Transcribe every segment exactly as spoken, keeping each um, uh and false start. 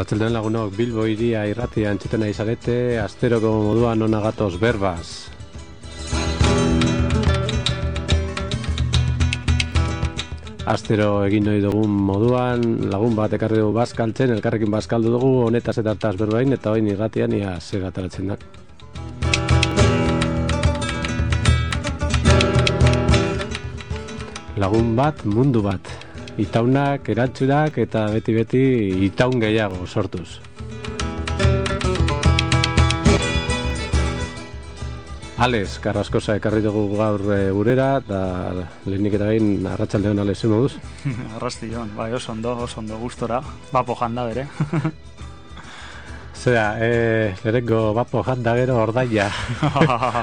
Arratsaldean lagunok, Bilbo hiria irratia entzuten nahi zarete, asteroko moduan ona gatoz berbaz. Astero egin nahi dugun moduan, lagun bat ekarri dugu bazkaltzen, elkarrekin bazkaldu dugu, honetaz eta hartaz berbain, eta hoin irratian ia zer ataratzen da. Lagun bat, mundu bat. Itaunak, erantzunak eta beti-beti itaun gehiago sortuz. Ales, Carrascosa ekarri dugu gaur e, gurera, eta lehenik eta behin arratsaldean Ales, zer moduz? Arrastion, bai, oso ondo, oso ondo gustora, bapo janda bere. Zera, e, lehenko bapo janda gero ordaia,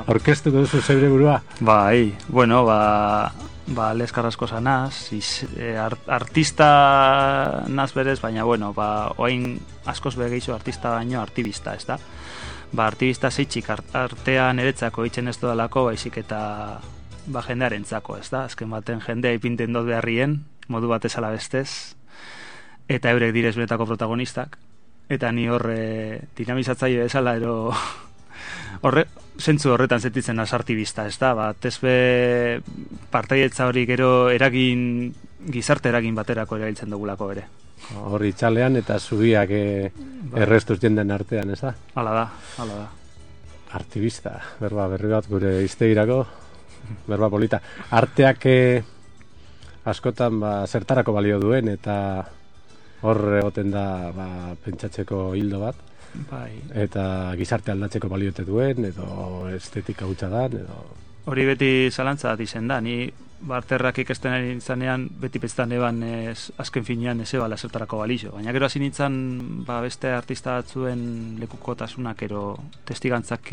orkestuko duzu zeure burua? Bai, bueno, ba... Ba, Les Carrascosa naz, iz, e, art, artista naz berez, baina, bueno, ba, oain askoz begeizu artista baino artibista, ez da? Ba, artibista zeitxik art, artean eretzako itxen ez dudalako, baizik eta ba, jendearen zako, ez da? Azken baten jendea ipinten dut beharrien, modu batez ala bestez, eta eurek direz benetako protagonistak, eta ni horre dinamizatzaile bezala, ero... Horre, zentzu horretan zetitzen az artibista, ez da? Ba, tezbe partaietza hori gero eragin, gizarte eragin baterako erabiltzen dugulako ere. Hori txalean eta zubiak e, errestuz jenden artean, ez da? Hala da, hala da. Artibista, berba berri bat gure iztegirako, berba polita. Arteak e, askotan ba, zertarako balio duen eta hor egoten da ba, pentsatzeko hildo bat. Bai. Eta gizarte aldatzeko baliote duen, edo estetika hutsa dan, edo... Hori beti zalantza bat izen da, ni barterrak ikesten ari nintzanean, beti pestan eban ez, azken finean ez ebala zertarako balixo. Baina gero hasi nintzen ba, beste artista batzuen lekukotasunak ero testigantzak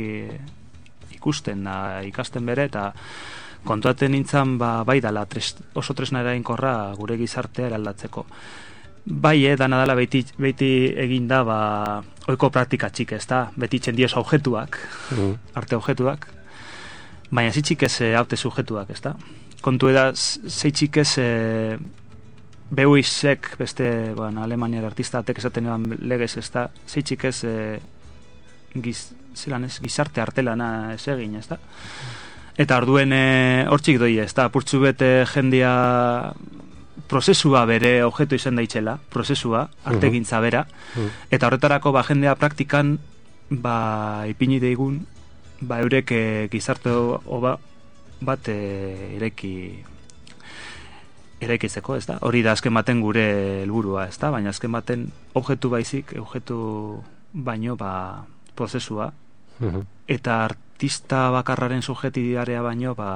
ikusten da, ikasten bere, eta kontuaten nintzen ba, bai dala tres, oso tresna eraginkorra gure gizartea eraldatzeko. Bai, eh, dana dela beti, beti egin da, ba, oiko praktika txik, ez da, beti txendioz objetuak, mm. arte objetuak, baina zitxik ez haute subjetuak, ez da. Kontu eda, zeitxik ez e, beuizek, beste, bueno, Alemaniar artistatek esaten eban legez, ez da, zeitxik ez, e, giz, zelan ez, gizarte artelana ez egin, ez da. Eta orduen hortxik doi, ez da, purtsu bete jendia... prozesua bere objetu izan daitxela, prozesua, artegintza bera, uh-huh. eta horretarako ba, jendea praktikan ba, ipini deigun ba, eurek e, gizarte oba bat e, ireki eraikitzeko, ez da? Hori da azken baten gure helburua, ez da? Baina azken baten objektu baizik, objektu baino ba, prozesua, uh-huh. eta artista bakarraren subjetibidarea baino ba,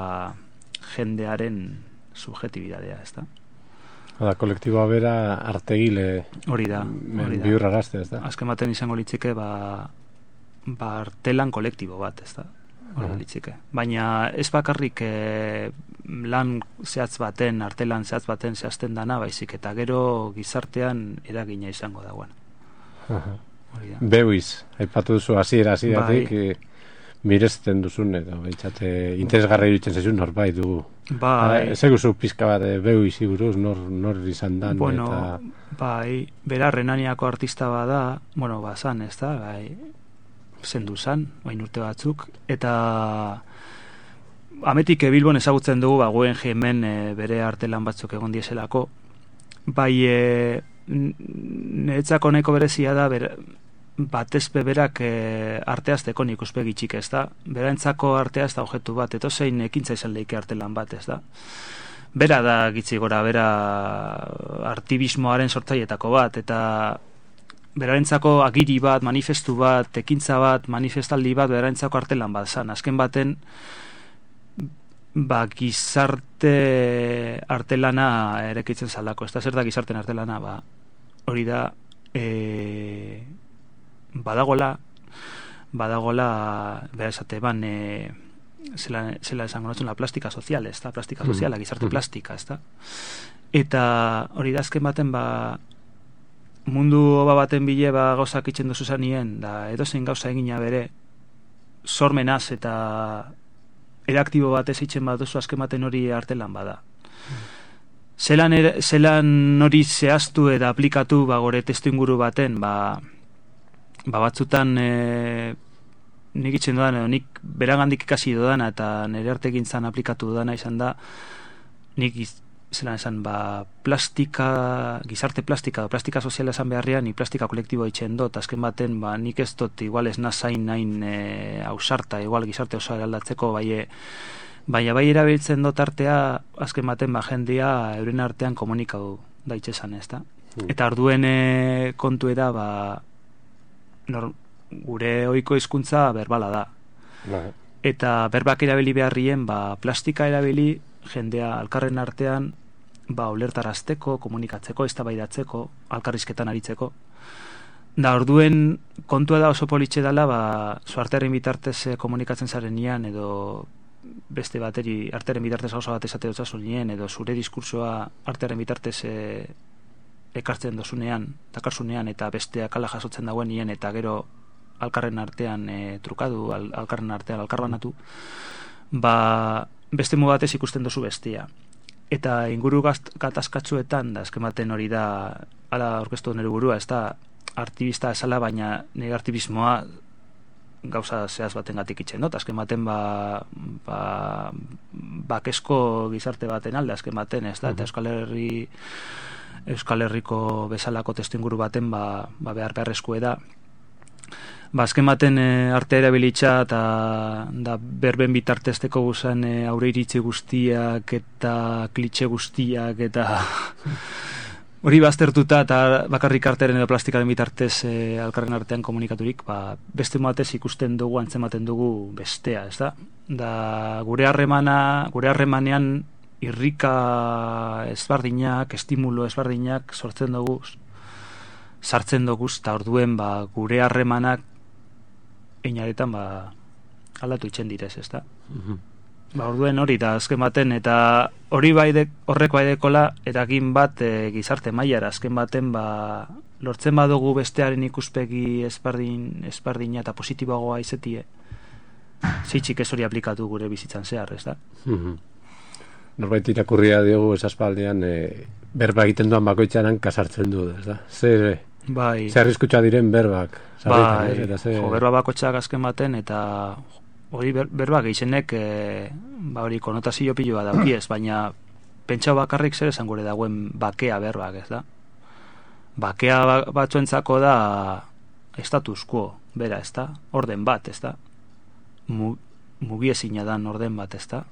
jendearen subjetibidarea, ez da? Hala, kolektiboa bera artegile hori da, hori da. Bihurra gazte, ez da? Azken baten izango litzike, ba, ba artelan kolektibo bat, ez da? Hori uh-huh. litzike. Baina ez bakarrik e, lan zehatz baten, artelan zehatz baten zehazten dana, baizik, eta gero gizartean eragina izango dagoen. Uh-huh. Beuiz, aipatu duzu hasiera hasieratik, bai. Mirezten duzun, edo, behitzate, interesgarra iruditzen zezun norbait dugu. Bai. Ez eguzu pizka bat behu izi buruz, nor, nor izan dan. Bueno, eta... bai, bera Renaniako artista bada, bueno, bazan, ez da, bai, zendu zan, bain urte batzuk, eta ametik Bilbon ezagutzen dugu, ba, guen hemen e, bere artelan batzuk egon dieselako, bai, e, niretzako nahiko berezia da, bera, batez beberak e, arteazteko nik uspegi txik, ez da? Beraentzako artea ez da objektu bat, eto zein ekintza izan leike artelan bat, ez da? Bera da gitzi gora, bera artibismoaren sortzaietako bat, eta beraentzako agiri bat, manifestu bat, ekintza bat, manifestaldi bat, beraentzako artelan bat zan. Azken baten, ba, gizarte artelana erekitzen zaldako, ez da? Zer da gizarten artelana, ba, hori da, e, badagola badagola bera esate ban e, zela, zela esango notzen la plastika sozial, ez da, plastika soziala, gizarte plastika, ez da, eta hori da azken baten ba mundu oba baten bile ba gauzak itxen duzu zanien, da edozein gauza egina bere sormenaz eta eraktibo bat ez itxen bat duzu azken baten hori artelan bada. zelan, er, zelan hori zehaztu eta aplikatu ba, gore testu inguru baten, ba, ba batzutan e, nik itxen dudan, edo nik beragandik ikasi dudana eta nire artekin zan aplikatu dudana izan da, nik iz, zelan esan, ba, plastika, gizarte plastika, plastika soziala esan beharrean, ni plastika kolektiboa itxen dut, azken baten, ba, nik ez dut, igual ez nazain nahin e, ausarta, igual gizarte oso aldatzeko, bai, baina bai erabiltzen dut artea, azken baten, ba, jendia euren artean komunikatu daitxesan, ez da? Mm. Eta orduen e, kontuera, ba, nor, gure ohiko hizkuntza berbala da. Nah. Eta berbak erabili beharrien, ba, plastika erabili, jendea alkarren artean, ba, ulertarazteko, komunikatzeko, eztabaidatzeko, alkarrizketan aritzeko. Da, orduen kontua da oso politxe dela, ba, zu artearen bitartez komunikatzen zaren nian, edo beste bateri artearen bitartez gauza bat esate dutzazu nien, edo zure diskursoa artearen bitartez e, ekartzen dozunean, takarzunean, eta besteak ala jasotzen dagoen nien, eta gero alkarren artean e, trukadu, al, alkarren artean alkarbanatu, ba, beste mu batez ikusten dozu bestia. Eta inguru gatazkatzuetan, da, eskematen hori da, ala orkestu nire burua, ez da, artibista esala, baina nire artibismoa gauza zehaz baten gatik itxen dut, azken baten ba, ba, bakesko gizarte baten alde, azken baten, ez da, eta Euskal Herri Euskal Herriko bezalako testu inguru baten ba, ba behar beharrezkoe da. Ba, azken baten e, arte erabilitza eta da berben bitartezteko guzan e, aurre iritzi guztiak eta klitxe guztiak eta hori baztertuta eta bakarrik artearen edo plastikaren bitartez e, alkarren artean komunikaturik, ba, beste moatez ikusten dugu, antzematen dugu bestea, ez da? Da, gure harremana, gure harremanean irrika ezbardinak, estimulo ezbardinak sortzen dugu, sartzen dugu, eta orduen ba, gure harremanak einaretan ba, aldatu itxen direz, ez da? Mm-hmm. Ba, orduen hori da azken baten, eta hori baide, horrek baidekola eragin bat e, gizarte mailara, azken baten ba, lortzen badugu bestearen ikuspegi espardin, espardina eta positiboagoa izetie, zeitzik ez hori aplikatu gure bizitzan zehar, ez da? Mm-hmm. Norbait irakurria diogu esaspaldean e, berba egiten duan bakoitzanan kasartzen du, ez da? Zer, bai. Zer arriskutsa diren berbak? Bai, ez, eta ze... jo, berba bakoitzak azken baten, eta hori ber, berba gehienek e, ba hori konotazio piloa daukiez, baina pentsau bakarrik zer esan gure dagoen bakea berbak, ez da? Bakea batzuentzako da status quo, bera, ez da? Orden bat, ez da? Mu, mugiezina dan orden bat, ez da?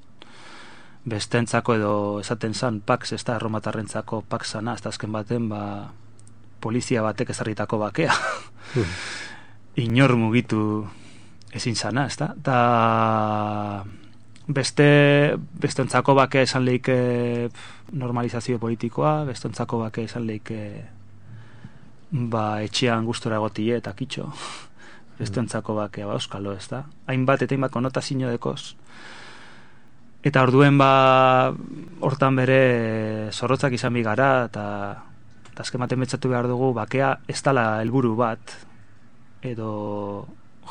Bestentzako edo esaten zan pax, ez da? Erromatarrentzako pax zana, ez da azken baten, ba polizia batek ezarritako bakea. Inor mugitu ezin zana, ez da? Ta beste bestontzako bakea esan leike normalizazio politikoa, bestontzako bakea esan leike ba etxean gustora egotie eta kitxo. Bestontzako bakea ba euskalo, ez da? Hainbat eta hainbat konotazio dekoz. Eta orduen ba hortan bere zorrotzak izan bigara, eta eta azken baten betzatu behar dugu bakea ez dala helburu bat, edo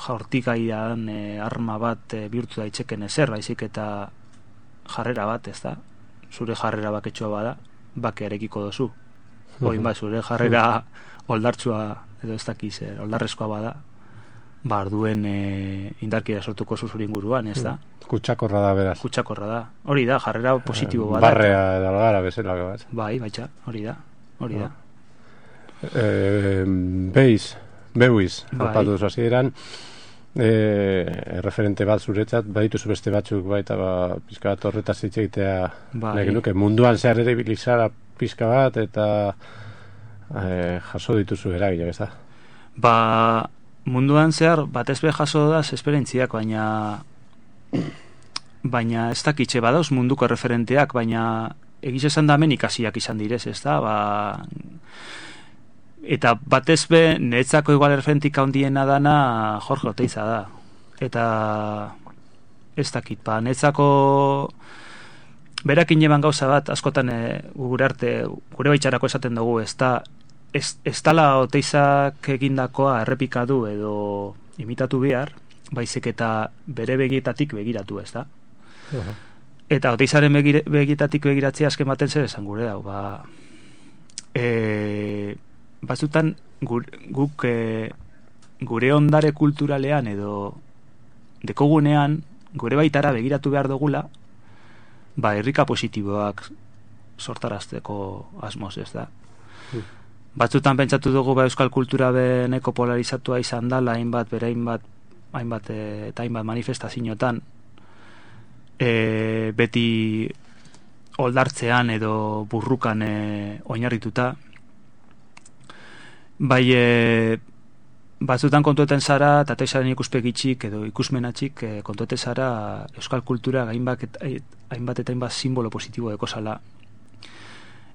jaurtikaian e, arma bat e, bihurtu daitzeken ezer, baizik eta jarrera bat, ez da? Zure jarrera baketxoa bada, bakearekiko dozu. Oin ba, zure jarrera oldartsua edo ez dakiz, e, oldarrezkoa bada, ba, arduen e, indarkira sortuko zuzur inguruan, ez da? Kutsakorra da, beraz. Kutsakorra da. Hori da, jarrera positibo bada. Barrea edo algara bezala bat. Bai, baitxa, hori da. Hori da. Eh, Beiz, Beuiz, alpatu duzu hasieran, eh, referente bat zuretzat, badituzu beste batzuk baita ba, pizka bat horretaz hitz egitea, bai. Nuke, munduan zehar ere bilizara pizka bat eta eh, jaso dituzu eragilak, ez da? Ba, munduan zehar batez be jaso da esperientziak, baina baina ez dakitxe badauz munduko referenteak, baina egiz esan da hemen ikasiak izan direz, ez da? Ba, eta batez be, niretzako igual referentik handiena dana Jorge Oteiza da. Eta ez dakit, ba, niretzako berakin eban gauza bat, askotan e, gure arte, gure baitxarako esaten dugu, ez da, ez, ez dala Oteizak egindakoa errepikadu edo imitatu behar, baizik eta bere begietatik begiratu, ez da? Uh-huh. Eta Oteizaren begir, begitatik begiratzea azken baten zer esan gure dau, ba, e, batzutan gur, guk e, gure ondare kulturalean edo dekogunean gure baitara begiratu behar dugula, ba, herrika positiboak sortarazteko asmoz, ez da. Mm. Batzutan pentsatu dugu ba, euskal kultura beneko polarizatua izan dala, hainbat, bere hainbat, hainbat e, eta hainbat manifestazioetan, e, beti oldartzean edo burrukan e, oinarrituta. Bai, e, batzutan kontueten zara, eta Oteizaren ikuspegitxik edo ikusmenatxik e, kontueten zara euskal kultura hainbat eta hainbat, eta hainbat simbolo positibo dekozala.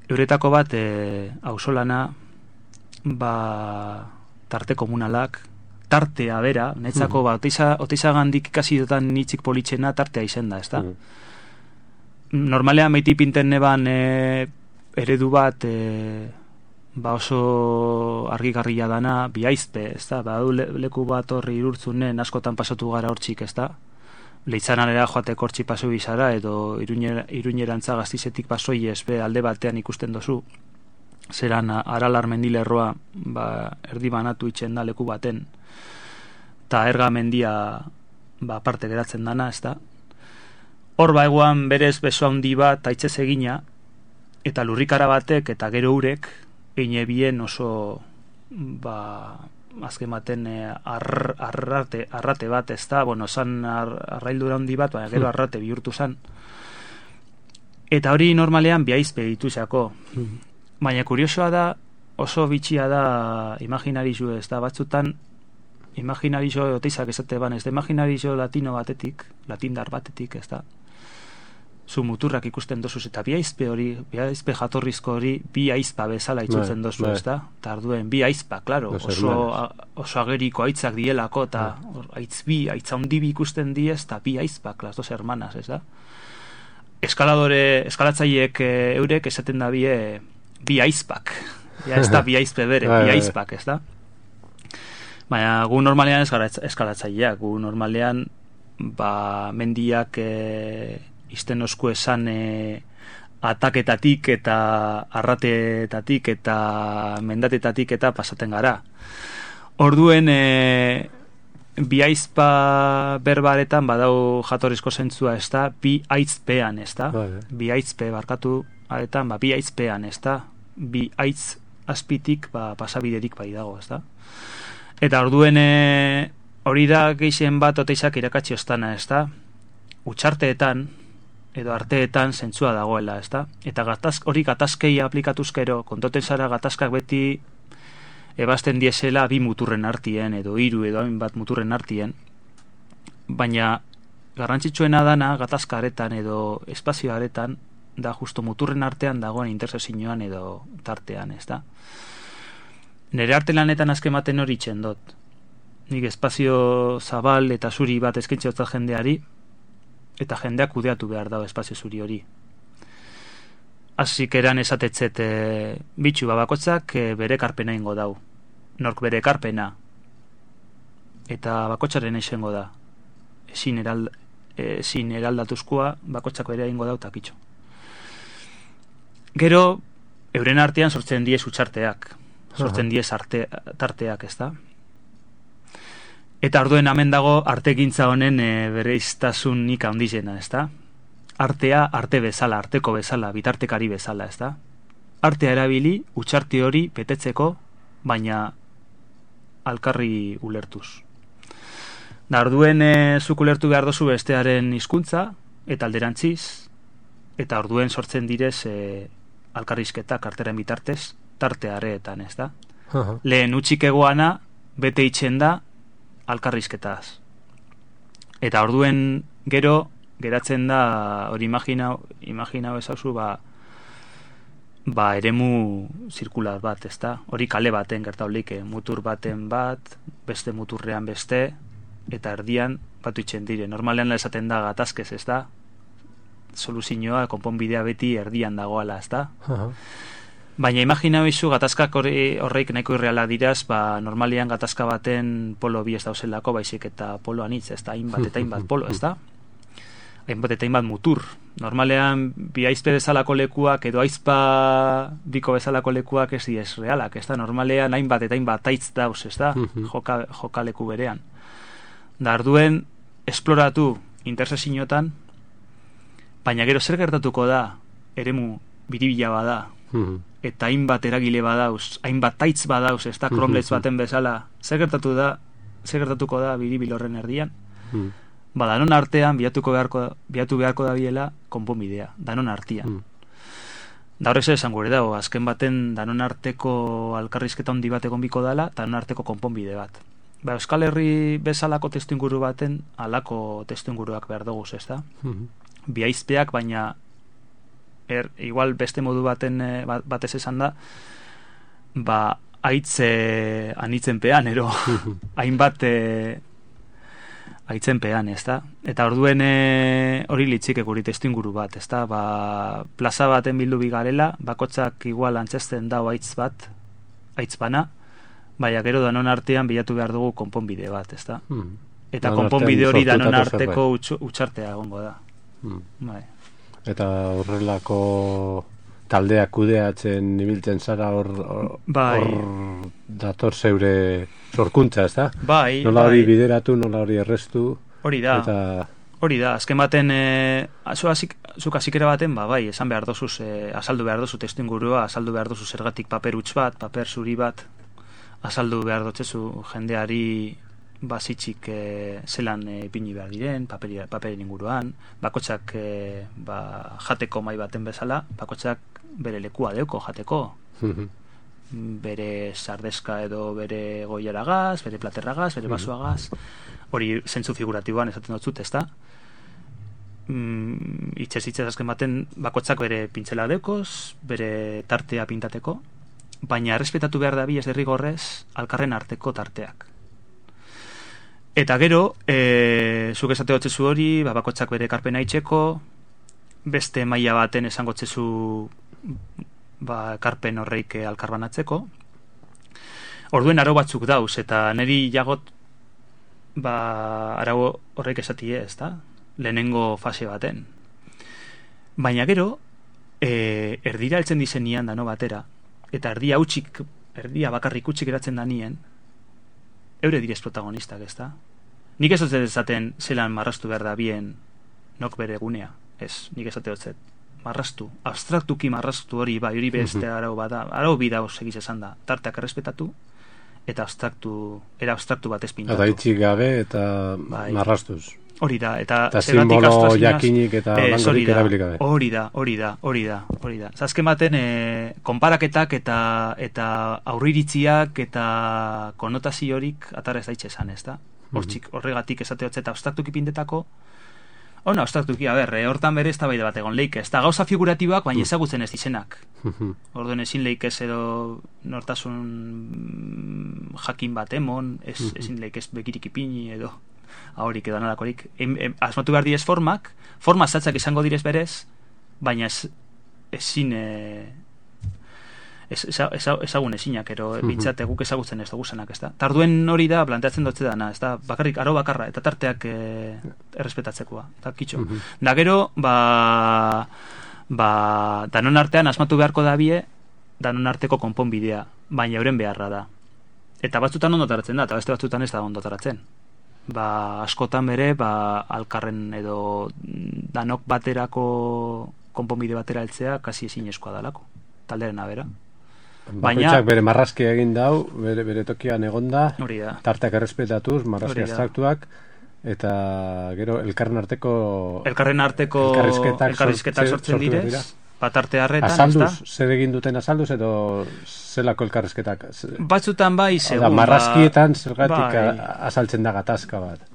Euretako bat, e, auzolana, ba, tarte komunalak, tartea bera, netzako, mm. ba, Oteiza, Oteizagandik ikasi dutan nitzik politxena tartea izen da, ez da? Mm. Normalean meiti pinten neban e, eredu bat, e, ba oso argigarria dana, biaizpe, ez da? Ba, le, leku bat horri irurtzunen askotan pasatu gara hortxik, ez da? Leitzanalera joateko hortxi paso bizara, edo iruñerantza Gaztizetik pasoi ezbe alde batean ikusten dozu, zeran Aralar mendilerroa ba, erdi banatu itxen da leku baten, eta erga mendia ba, parte geratzen dana, ez da? Hor ba eguan berez beso handi bat aitzez egina, eta lurrikara batek eta gero urek eine bien oso ba, azken baten ar, arrate, arrate bat, ez da? Bueno, zan ar, arraildura handi bat, baina gero arrate bihurtu zan. Eta hori normalean biaizpe dituzako. Baina kuriosoa da, oso bitxia da imaginarizu, ez da? Batzutan imaginarizo Oteizak esate ban, ez da imaginarizo latino batetik, latindar batetik, ez da? Zu muturrak ikusten dozuz, eta bi aizpe hori, bi aizpe jatorrizko hori, bi aizpa bezala itzutzen dozu, ez da? Eta arduen, bi aizpa, klaro, oso, a, oso ageriko aitzak dielako, eta aitz bi, aitza hondi bi ikusten diez, eta bi aizpak, las dos hermanas, ez da? Eskaladore, eskalatzaiek e, eurek esaten da bie, bi aizpak, ja ez da bi aizpe bere, bi aizpak, ez da? Baina gu normalean eskalatzaileak, gu normalean ba, mendiak e, izten osku esan e, ataketatik eta arratetatik eta mendatetatik eta pasaten gara. Orduen e, bi aizpa berbaretan badau jatorrizko zentzua, ez da, bi aitzpean, ez da, bi aitzpe barkatu aretan, ba, bi aizpean, ez da, bi aitz azpitik ba, pasabiderik bai dago, ez da. Eta orduen e, hori da gehien bat Oteizak irakatsi ostana, ez da, utxarteetan edo arteetan zentzua dagoela, ez da, eta gataz, hori gatazkei aplikatuzkero, kontoten zara gatazkak beti ebazten diesela bi muturren artien, edo hiru edo hainbat muturren artien, baina garrantzitsuena dana gatazka aretan edo espazio aretan da justo muturren artean dagoen intersezioan edo tartean, ez da. Nere arte lanetan azkematen hori txendot. Nik espazio zabal eta zuri bat eskaintze otzat jendeari, eta jendeak kudeatu behar dago espazio zuri hori. Asik eran esatetzet e, bitxu babakotzak e, bere karpena ingo dau. Nork bere karpena. Eta bakotzaren esengo da. Ezin eral, ezin eraldatuzkoa bakotzak bere ingo dau takitxo. Gero, euren artean sortzen diez utxarteak. Sortzen diez arte, tarteak, ez da? Eta orduen hemen dago artegintza honen e, bere iztasunik handizena, ez da? Artea arte bezala, arteko bezala, bitartekari bezala, ez da? Artea erabili, utxarte hori betetzeko, baina alkarri ulertuz. Da orduen e, zuk ulertu behar dozu bestearen hizkuntza eta alderantziz, eta orduen sortzen direz e, alkarrizketak arteren bitartez, tarteareetan, ez da? Uh-huh. Lehen utxik egoana, bete itxen da, alkarrizketaz. Eta orduen gero, geratzen da, hori imaginau, imaginau ezauzu, ba, ba, eremu zirkular bat, ez da? Hori kale baten gertaulik, mutur baten bat, beste muturrean beste, eta erdian batu itxen dire. Normalean esaten da gatazkez, ez da? Soluzioa, konponbidea beti erdian dagoala, ez da? Uh-huh. Baina imaginau izu gatazkak horreik nahiko irreala diraz, ba, normalian gatazka baten polo bi ez dauzelako, baizik eta polo anitz, ez da, hainbat eta hainbat polo, ez da? hainbat eta hainbat mutur. Normalean, bi aizpe bezalako lekuak edo aizpa biko bezalako lekuak ez diez realak, ez da? Normalean hainbat eta hainbat aitz dauz, ez da? Joka, jokaleku berean. Da, arduen, esploratu intersezinotan, baina gero zer gertatuko da, eremu biribila bada, eta hainbat eragile badauz, hainbat aitz badauz, ez da? Cromlech baten bezala, zer gertatu da, zer gertatuko da biribil horren erdian? Ba, danon artean bilatuko beharko, bilatu beharko da biela konponbidea, danon artean. Mm. Da horrek zer esan gure dago, azken baten danon arteko alkarrizketa handi bat egon biko dala, danon arteko konponbide bat. Ba, Euskal Herri bezalako testu inguru baten, alako testu inguruak behar dugu, ez da? Mm-hmm. Bi aizpeak, baina er, igual beste modu baten batez esan da, ba, aitze anitzenpean, ero, hainbat aitzenpean, ez da? Eta orduen hori e, litzike guri testu inguru bat, ez da? Ba, plaza baten bildu bigarela, bakotzak igual antzesten dau aitz bat, aitz bana, baina gero danon artean bilatu behar dugu konponbide bat, ez da? Hmm. Eta danon konponbide hori danon arteko utxartea egongo da. Hmm. Bai. Eta horrelako taldeak kudeatzen ibiltzen zara hor bai. Dator zeure sorkuntza, ez da? Bai, nola hori bai. Bideratu, nola hori errestu. Hori da, eta... hori da, azken baten e, zuk azikera baten, ba, bai, esan behar dozuz, e, azaldu behar dozu testu ingurua, azaldu behar dozu zergatik paper huts bat, paper zuri bat, azaldu behar dotzezu jendeari bazitxik e, zelan e, ipini behar diren, paperi, paperin inguruan, bakotxak e, ba, jateko mai baten bezala, bakotxak bere lekua deuko jateko, bere sardezka edo bere goiaragaz, bere platerragaz, bere basuagaz, hori zentzu figuratiboan esaten dut zut, ez da? Mm, itxez itxez azken baten bakotxak bere pintzela dekoz, bere tartea pintateko, baina errespetatu behar da bi ez derrigorrez alkarren arteko tarteak. Eta gero, e, zuk esate hotzezu hori, ba, bakotxak bere karpena itxeko, beste maila baten esango txezu ba, karpen horreik alkarbanatzeko. Orduen aro batzuk dauz, eta niri jagot ba, arau horreik esatie, ez da? Lehenengo fase baten. Baina gero, e, erdira heltzen dizenian dano batera, eta erdia utxik, erdia bakarrik utxik eratzen da nien, eure direz protagonistak, ez da? Nik ez dut ezaten zelan marrastu behar da bien nok bere gunea, ez, nik ez dut marrastu, abstraktuki marrastu hori, bai, hori beste arau bada, arau bida segiz esan da, tarteak errespetatu, eta abstraktu, era abstraktu bat espintatu. Eta itxik gabe eta bai. Marrastuz. Hori da, eta eta simbolo jakinik eta langorik erabilik gabe. Hori da, hori da, hori da, hori da. Zazken baten, e, konparaketak eta eta aurriritziak eta konotazio horik atara ez daitxe esan, ez da? Hortzik, horregatik esate hotzeta abstraktuki pindetako, ona, abstraktuki, a ber, e, hortan bere ez da baide bat egon leik, ez da gauza figuratiboak, baina ezagutzen ez dizenak. Orduen ezin leik ez edo nortasun jakin bat emon, ez, ezin leik ez bekirik ipini edo ahorik edo analakorik. Asmatu behar direz formak, forma zatzak izango direz berez, baina ez, ezin e, ez, ez, ezagun ezinak, ero bintzat eguk ezagutzen ez dugu zenak, ez da. Tarduen hori da, planteatzen dutze dana, ez da, bakarrik, aro bakarra, eta tarteak e, errespetatzekoa, eta kitxo. Da gero, ba, ba, danon artean asmatu beharko da bie, danon arteko konponbidea, baina euren beharra da. Eta batzutan ondotaratzen da, eta beste batzutan ez da ondotaratzen. Ba, askotan bere, ba, alkarren edo danok baterako konponbide batera heltzea kasi ezinezkoa dalako, talderen abera. Bakoitzak bere marrazki egin dau, bere, bere tokian egonda, hori da. Tartak errespetatuz, marrazki abstraktuak, eta gero elkarren arteko elkarren arteko elkarrizketak, elkarrizketak sortzen direz, bat arte harretan, azalduz, zer egin duten azalduz edo zelako elkarrizketak? Batzutan bai, segun, marrazkietan zergatik bai. Azaltzen da gatazka bat.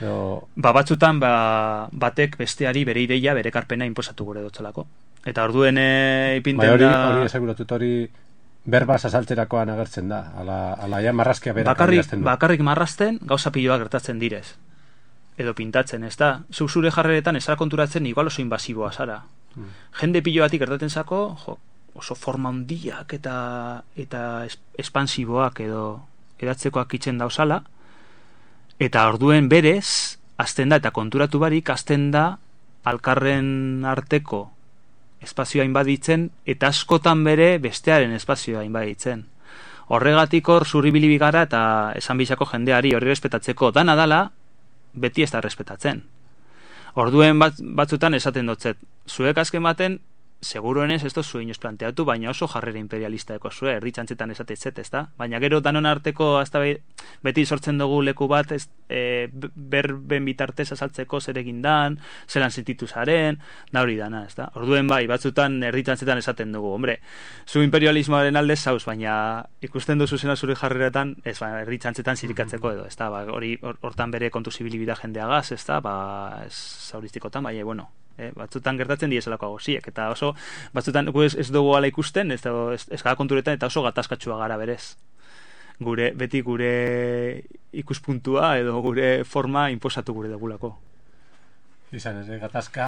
Edo... Ba, batzutan ba, batek besteari bere ideia, bere karpena inposatu gure dutzelako. Eta orduen ipinten bai, hori, da... Hori esaguratut, hori berbaz azaltzerakoan agertzen da. Ala, ala ja marrazkia berak bakarrik, bakarrik marrazten, gauza piloak gertatzen direz. Edo pintatzen, ez da? Zuk zure jarreretan ez konturatzen igual oso invasiboa zara. Hmm. Jende pilo batik gertatzen zako, jo, oso forma handiak eta, eta espansiboak edo edatzekoak itzen dauzala, eta orduen berez, azten da, eta konturatu barik, azten da, alkarren arteko espazioa inbaditzen, eta askotan bere bestearen espazioa inbaditzen. Horregatik hor zurribili gara eta esan bizako jendeari hori respetatzeko dana dala, beti ez da respetatzen. Orduen bat, batzutan esaten dotzet, zuek azken baten, seguruenez ez dozu inoz planteatu, baina oso jarrera imperialista eko zue, erditxantzetan esatetzet, ez da? Baina gero danon arteko, hasta beti sortzen dugu leku bat, ez, e, berben bitartez azaltzeko zer egindan, zelan sentitu zaren, da hori dana, ez da? Orduen bai, batzutan erditxantzetan esaten dugu, hombre, zu imperialismoaren alde zauz, baina ikusten duzu zena zure jarreretan, ez, ba, erditxantzetan zirikatzeko edo, ez da? Ba, hori hortan bere kontu zibilibida jendeagaz, ez da? Ba, ez zauristikotan, baina, bueno, Eh, batzutan gertatzen dieselako agosiek, eta oso batzutan ez, ez dugu ala ikusten, ez, ez, ez gara konturetan, eta oso gatazkatsua gara berez. Gure, beti gure ikuspuntua edo gure forma inposatu gure dugulako. Izan ez, gatazka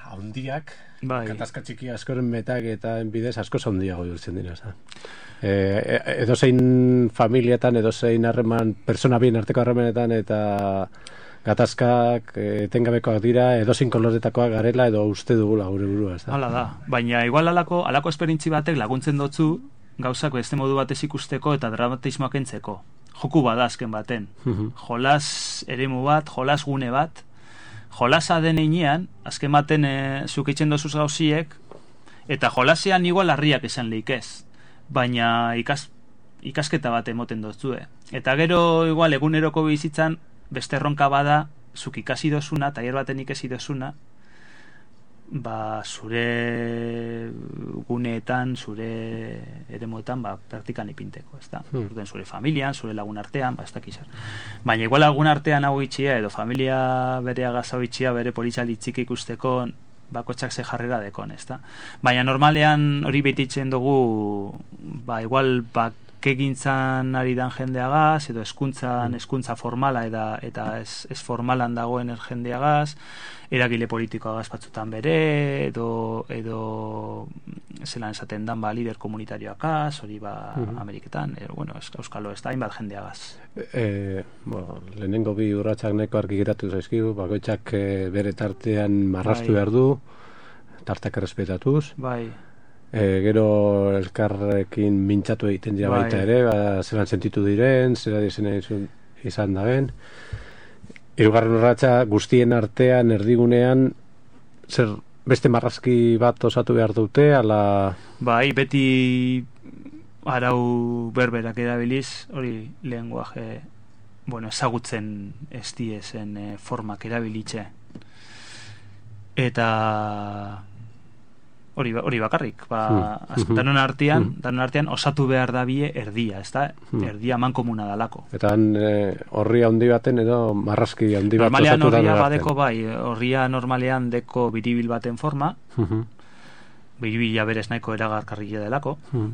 handiak, bai. Gatazka txiki askoren metak eta bidez asko handiago jurtzen dira. Eh, edozein familietan, edozein harreman, persona bien arteko harremanetan eta gatazkak etengabekoak dira, edozein koloretakoak garela edo uste dugula gure burua, ez da? Hala da, baina igual alako, alako esperintzi batek laguntzen dotzu gauzak beste modu batez ikusteko eta dramatismoak entzeko. Joku bada azken baten. Jolas eremu bat, jolas gune bat, jolasa den einean, azken baten e, zuk eitzen dozuz gauziek, eta jolasean igual harriak esan leikez, baina ikas, ikasketa bat emoten dotzue. Eta gero igual eguneroko bizitzan, beste erronka bada, zuk ikasi dozuna, tailer baten ikasi dozuna, ba, zure guneetan, zure eremuetan, ba, praktikan ipinteko, ez da? Hmm. Zure familian, zure lagun artean, ba, ez dakizar. Baina igual lagun artean hau itxia, edo familia bere agazau itxia, bere politzalitzik ikusteko, bakotxak ze jarrera dekon, ez da? Baina normalean hori betitzen dugu, ba, igual, ba, kegintzan ari dan jendeagaz, edo eskuntzan, eskuntza formala eta, eta ez, ez formalan dagoen jendeagaz, eragile politikoagaz batzutan bere, edo, edo zelan esaten dan ba, lider komunitarioakaz, hori ba uh-huh. Ameriketan, er, bueno, euskalo ez da, hainbat jendeagaz. E, bueno, lehenengo bi urratsak neko argi geratu zaizkigu, bakoitzak e, bere tartean marrastu bai. Behar du, tartak errespetatuz. Bai. E, gero elkarrekin mintzatu egiten dira bai. Baita ere, ba, zelan sentitu diren, zera dizena izan da ben. Hirugarren urratsa guztien artean, erdigunean, zer beste marrazki bat osatu behar dute, ala... Bai, beti arau berberak erabiliz, hori lenguaje, bueno, ezagutzen ez diezen e, formak erabilitze. Eta... Hori, hori bakarrik, ba, hmm. danon artean, hmm. danon artean osatu behar da bie erdia, ez da? Hmm. Erdia mankomuna dalako. Eta horri e, handi baten edo marrazki handi bat osatu da. Normalean horria badeko bai, horria normalean deko biribil baten forma, hmm. biribila berez nahiko eragarkarria delako, hmm.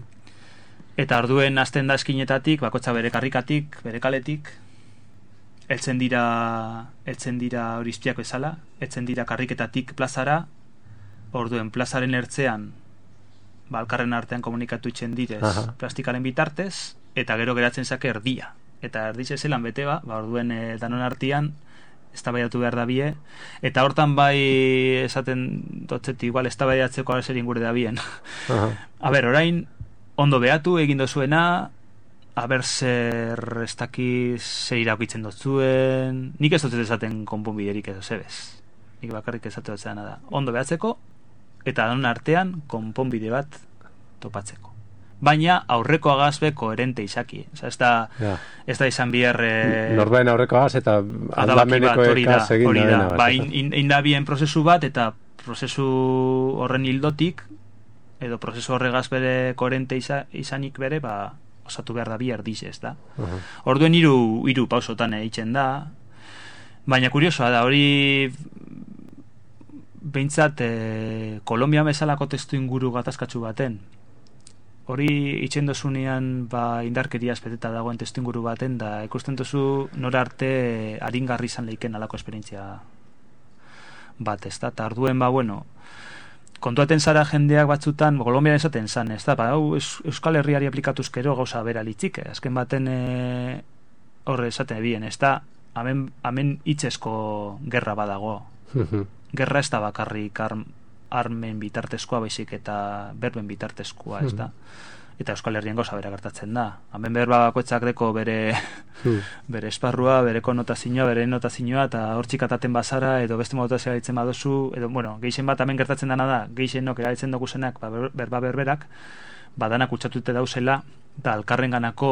eta orduen hasten da eskinetatik, bakotza bere karrikatik, bere kaletik, eltzen dira, eltzen dira horizpiako ezala, eltzen dira karriketatik plazara, orduen plazaren ertzean balkarren artean komunikatu itzen direz aha. Plastikaren bitartez eta gero geratzen zake erdia eta erdize zelan bete ba, ba orduen e, danon artean eztabaidatu behar da bie eta hortan bai esaten dotzeti igual eztabaidatzeko zer ingure da bien a ber, orain ondo behatu egin dozuena a ber zer ez dakiz zer irakitzen dotzuen nik ez dotzet esaten konponbiderik edo zebez nik bakarrik esatu dotzena da ondo behatzeko eta danon artean konponbide bat topatzeko. Baina aurreko agazbe koherente izaki. Osa, ez da, ja. Ez da izan bihar... E... Norbaen aurreko agaz eta aldameneko ekaz egin da. da. Ba, indabien prozesu bat eta prozesu horren hildotik edo prozesu horregaz bere koherente iza, izanik bere, ba, osatu behar da bihar diz, ez da. Uh-huh. Orduen hiru hiru pausotan eitzen da. Baina kuriosoa da, hori... Behintzat, eh, Kolombia bezalako testu inguru gatazkatsu baten. Hori itxen dozunean ba, indarkeria espeteta dagoen testu inguru baten, da ikusten duzu nora arte aringarri izan leiken alako esperientzia bat, ez da? Ta arduen, ba, bueno, kontuaten zara jendeak batzutan, Kolombian esaten zan, ez da? Ba, hau, Euskal Herriari aplikatuzkero gauza bera litzik, azken baten horre e, esaten ebien, ez da? Hemen, hemen itxesko gerra badago. Gerra ez da bakarrik arm, armen bitartezkoa baizik eta berben bitartezkoa, ez da? Eta Euskal Herrian gauza bera gertatzen da. Hemen berba bakoitzak deko bere bere esparrua, bere konotazioa, bere notazioa, eta hortzik ataten bazara, edo beste modutazioa ditzen badozu, edo, bueno, geixen bat hemen gertatzen dana da, geixenok erabiltzen dugu zenak, ba, berba berberak, badanak utxatute dauzela, eta alkarren ganako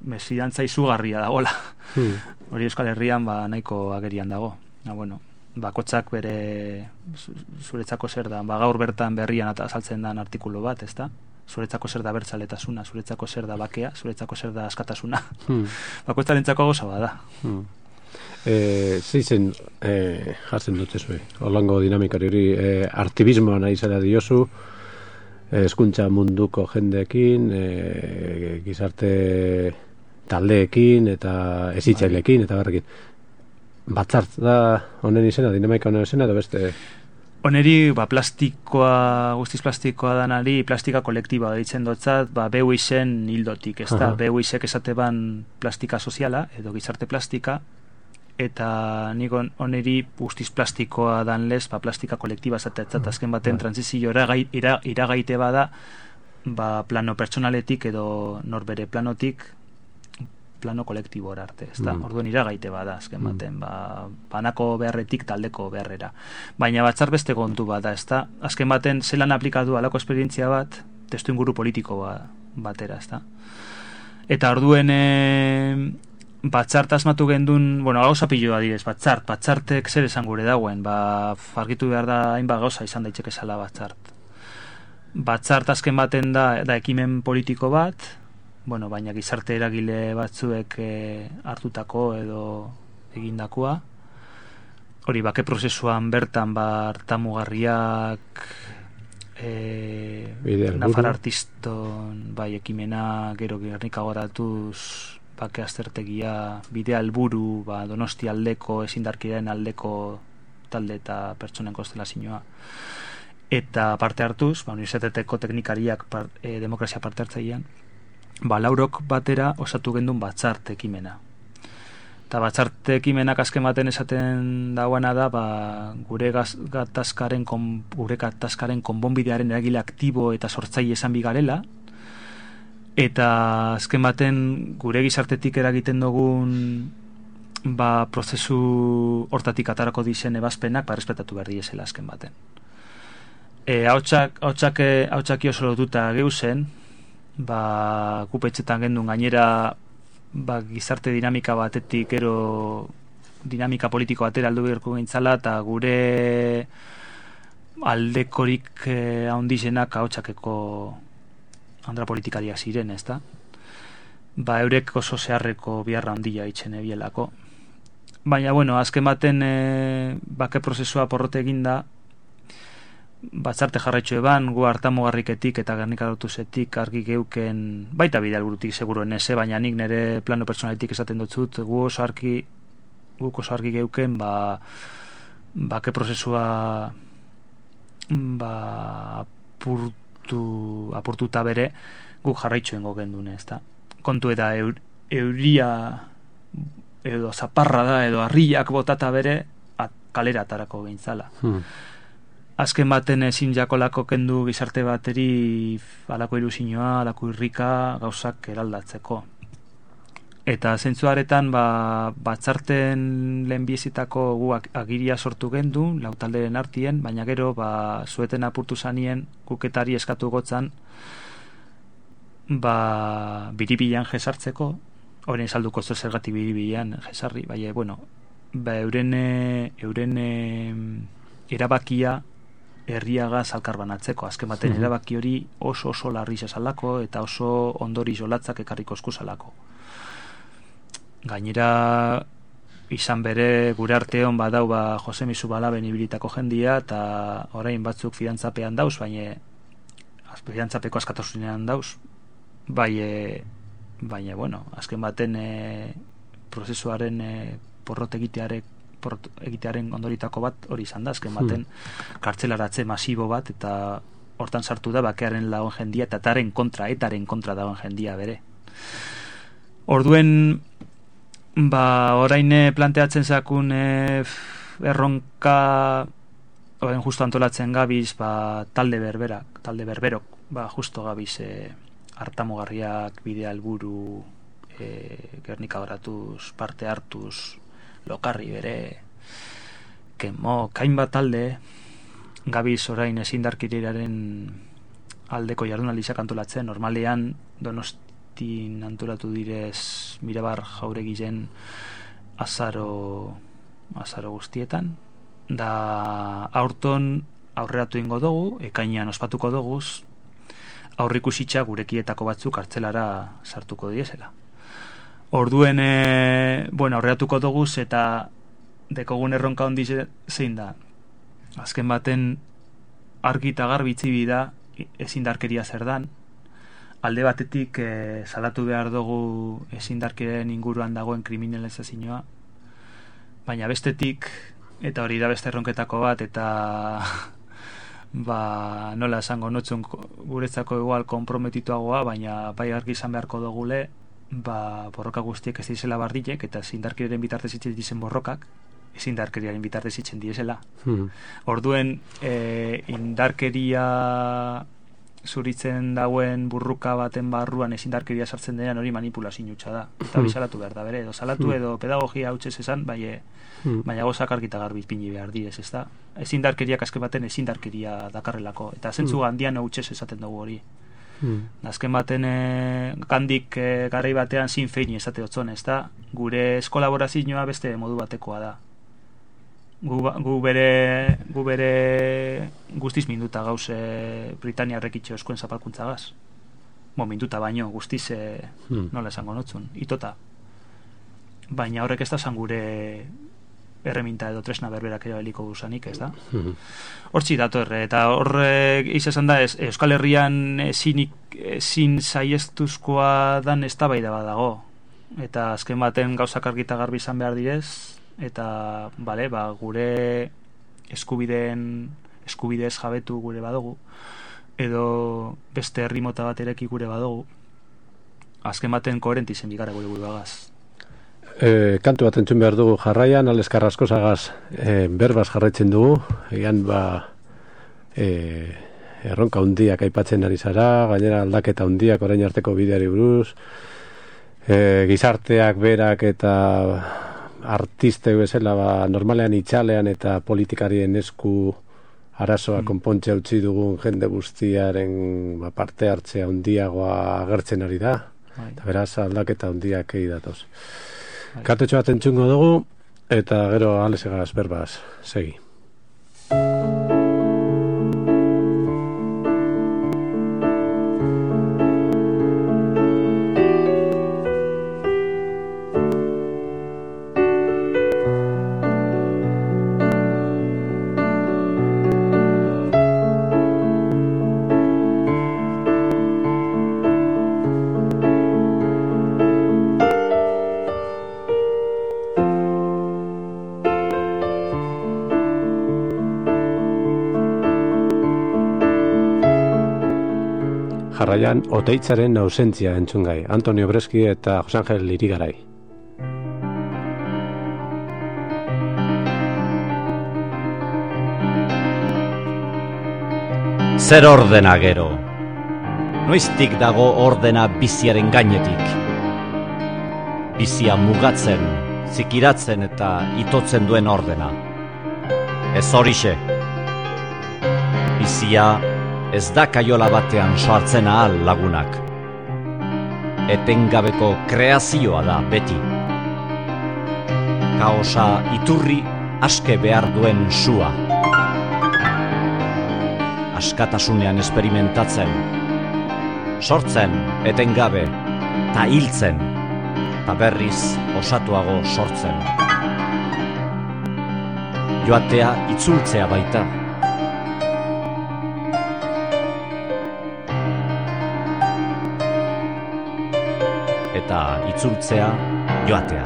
mesfidantza izugarria dagola. Hmm. Hori Euskal Herrian ba, nahiko agerian dago. Na, bueno, bakotzak bere zuretzako zer da, ba, gaur bertan berrian eta azaltzen dan artikulu bat, ez da? Zuretzako zer da bertzaletasuna, zuretzako zer da bakea, zuretzako zer da askatasuna. Hmm. Bakoitzarentzako gauza bada. Hmm. Eh, zeizen eh, jartzen dute zuen, holango dinamikari hori, eh, artibismoa nahi zara diozu, hezkuntza munduko jendeekin, e, gizarte taldeekin eta ezitzailekin eta barrekin. Batzart da honen izena, dinamika honen izena edo beste? Honeri, ba, plastikoa, guztiz plastikoa danari, plastika kolektiba ditzen dotzat, ba, beu izen hildotik, ez da? Beu izek esate ban plastika soziala, edo gizarte plastika, eta nik oneri guztiz plastikoa dan lez, ba, plastika kolektiba zatetzat, azken baten transizio ira, iragaite bada, ba, plano pertsonaletik edo norbere planotik plano kolektibora arte, ez da? Mm. Orduan iragaite bada, azken baten, ba, banako beharretik taldeko beharrera. Baina batzar beste kontu bada, ez da? Azken baten, zelan aplikatu alako esperientzia bat, testu inguru politiko ba, batera, ez da? Eta orduen, e, batzart asmatu gendun, bueno, gauza piloa direz, batzart, batzartek zer esan gure dagoen, ba, argitu behar da, hainbat gauza izan daiteke zala batzart. Batzart azken baten da, da ekimen politiko bat, bueno, baina gizarte eragile batzuek e, hartutako edo egindakoa. Hori, bake prozesuan bertan, ba, hartamugarriak, e, Nafar artiston, bai, ekimena, gero Gernika goratuz, bake aztertegia, bidea helburu, ba, Donosti aldeko, ezindarkideen aldeko talde eta pertsonen konstelazioa. Eta parte hartuz, ba, unibertsitateko teknikariak par, e, demokrazia parte hartzailean, ba, laurok batera osatu gendun batzarte ekimena. Eta batzarte ekimenak azken baten esaten dagoena da, ba, gure gaz, gatazkaren, kon, gure gatazkaren konbonbidearen eragile aktibo eta sortzaile esan bigarela, eta azken baten gure gizartetik eragiten dugun ba, prozesu hortatik atarako dizen ebazpenak ba, respetatu behar diesela azken baten. E, hautsak, hautsak, hautsaki oso lotuta geuzen, ba, kupetxetan gendun gainera ba, gizarte dinamika batetik gero dinamika politiko batera aldu beharko gintzala eta gure aldekorik eh, handizenak hautsak andra politikariak ziren, ez da? Ba, eurek oso zeharreko biharra handia itxen ebielako. Baina, bueno, azken baten e, bake prozesua porrote eginda, batzarte jarraitxo eban, gu hartamugarriketik eta Gernika Lotusetik argi geuken, baita bide alburutik seguruen eze, baina nik nire plano personaletik esaten dutzut, gu oso argi, guk oso argi geuken, ba, bake prozesua ba, apurtu, apurtuta bere, guk jarraitxoen gogendune, ez da? Kontu eta eur, euria edo zaparra da, edo harriak botata bere, at, kalera atarako gintzala. Hmm. Azken baten ezin jakolako kendu gizarte bateri alako ilusioa, alako irrika gauzak eraldatzeko. Eta zentzuaretan ba, batzarten lehenbiezitako gu agiria sortu gendu, lautalderen artien, baina gero ba, zueten apurtu zanien kuketari eskatu gotzan ba, biribilan jesartzeko, horien salduko zo zergatik biribilan jesarri, baina, bueno, ba, euren, euren erabakia herriagaz alkarbanatzeko, azken baten mm-hmm. erabaki hori oso oso larri zazalako eta oso ondori zolatzak ekarriko eskuzalako. Gainera izan bere gure arteon badau ba Jose Misu Balaben ibilitako jendia eta orain batzuk fidantzapean dauz, baina fidantzapeko askatasunean dauz, bai, e, baina, bueno, azken baten e, prozesuaren e, porrot egitearek egitearen ondoritako bat hori izan da, azken baten hmm. kartzelaratze masibo bat eta hortan sartu da bakearen lagun jendia eta etaren kontra, etaren kontra dagoen jendia bere. Orduen ba, orain planteatzen zakun e, erronka oen justo antolatzen gabiz, ba, talde berberak, talde berberok, ba, justo gabiz e, hartamugarriak bidea helburu e, Gernika garatuz, parte hartuz, lokarri bere, kemo, kainbat talde, gabiz orain ezindarkeriaren aldeko jardunaldizak antolatzen, normalean Donostin antolatu direz Mirabar Jauregiren azaro, azaro guztietan, da aurton aurreratu ingo dugu, ekainean ospatuko duguz, aurrikusitza gurekietako batzuk kartzelara sartuko diezela. Orduen, e, bueno, aurreratuko duguz eta dekogun erronka handi zein da. Azken baten argi eta garbitzi bida ezindarkeria zer dan. Alde batetik e, salatu behar dugu ezindarkeriaren inguruan dagoen kriminalizazioa, baina bestetik, eta hori da beste erronketako bat, eta ba, nola esango notzun guretzako igual komprometituagoa, baina bai argi izan beharko dugule, ba, borroka guztiek ez dizela bardilek, eta ezindarkeriaren bitartez itzen dizen borrokak, ezindarkeriaren bitartez itzen dizela. Hmm. Orduen, e, indarkeria zuritzen dauen burruka baten barruan ezindarkeria sartzen denean hori manipulazio hutsa da. Eta hori salatu behar da, bere, edo salatu edo pedagogia hautsez esan, baina baina gozak argita garbi ipini behar direz, ez da? Ezindarkeriak azken baten ezindarkeria dakarrelako, eta zentzu handian hautsez esaten dugu hori. Azken baten e, gandik e, garai batean zin feini esate otzon, ez da? Gure eskolaborazioa beste modu batekoa da. Gu, gu bere gu bere guztiz minduta gauze Britaniarrek itxo eskuen zapalkuntza gaz. Bo, minduta baino, guztiz e, hmm. nola esango notzun, itota. Baina horrek ez da zan gure erreminta edo tresna berberak erabiliko duzanik, ez da? Hortzi dator, eta horrek izan da, ez, Euskal Herrian ezin, ezin saiestuzkoa dan eztabaida bat dago. Eta azken baten gauzak argita garbi izan behar direz, eta bale, ba, gure eskubideen eskubidez jabetu gure badugu, edo beste herri mota bat ereki gure badugu, azken baten koherenti zen bigara gure gure bagaz. E, kantu bat entzun behar dugu jarraian, Ales Carrascosagaz e, berbaz jarraitzen dugu, egan ba e, erronka hundiak aipatzen ari zara, gainera aldaketa hundiak orain arteko bideari buruz, e, gizarteak berak eta artiste bezala ba, normalean itxalean eta politikarien esku arazoa mm. konpontxe utzi dugun jende guztiaren ba, parte hartzea hundiagoa agertzen ari da. Bai. Eta beraz aldaketa hundiak egi datoz. Bai. Kartetxo bat entzungo dugu eta gero Alesegaz berbaz segi. Jarraian, Oteitzaren ausentzia entzungai, Antonio Breski eta Jose Angel Irigarai. Zer ordena gero? Noiztik dago ordena biziaren gainetik? Bizia mugatzen, zikiratzen eta itotzen duen ordena. Ez horixe. Bizia ez da kaiola batean sartzen ahal lagunak. Etengabeko kreazioa da beti. Kaosa iturri aske behar duen sua. Askatasunean esperimentatzen. Sortzen etengabe, ta hiltzen, ta berriz osatuago sortzen. Joatea itzultzea baita. Eta itzultzea joatea.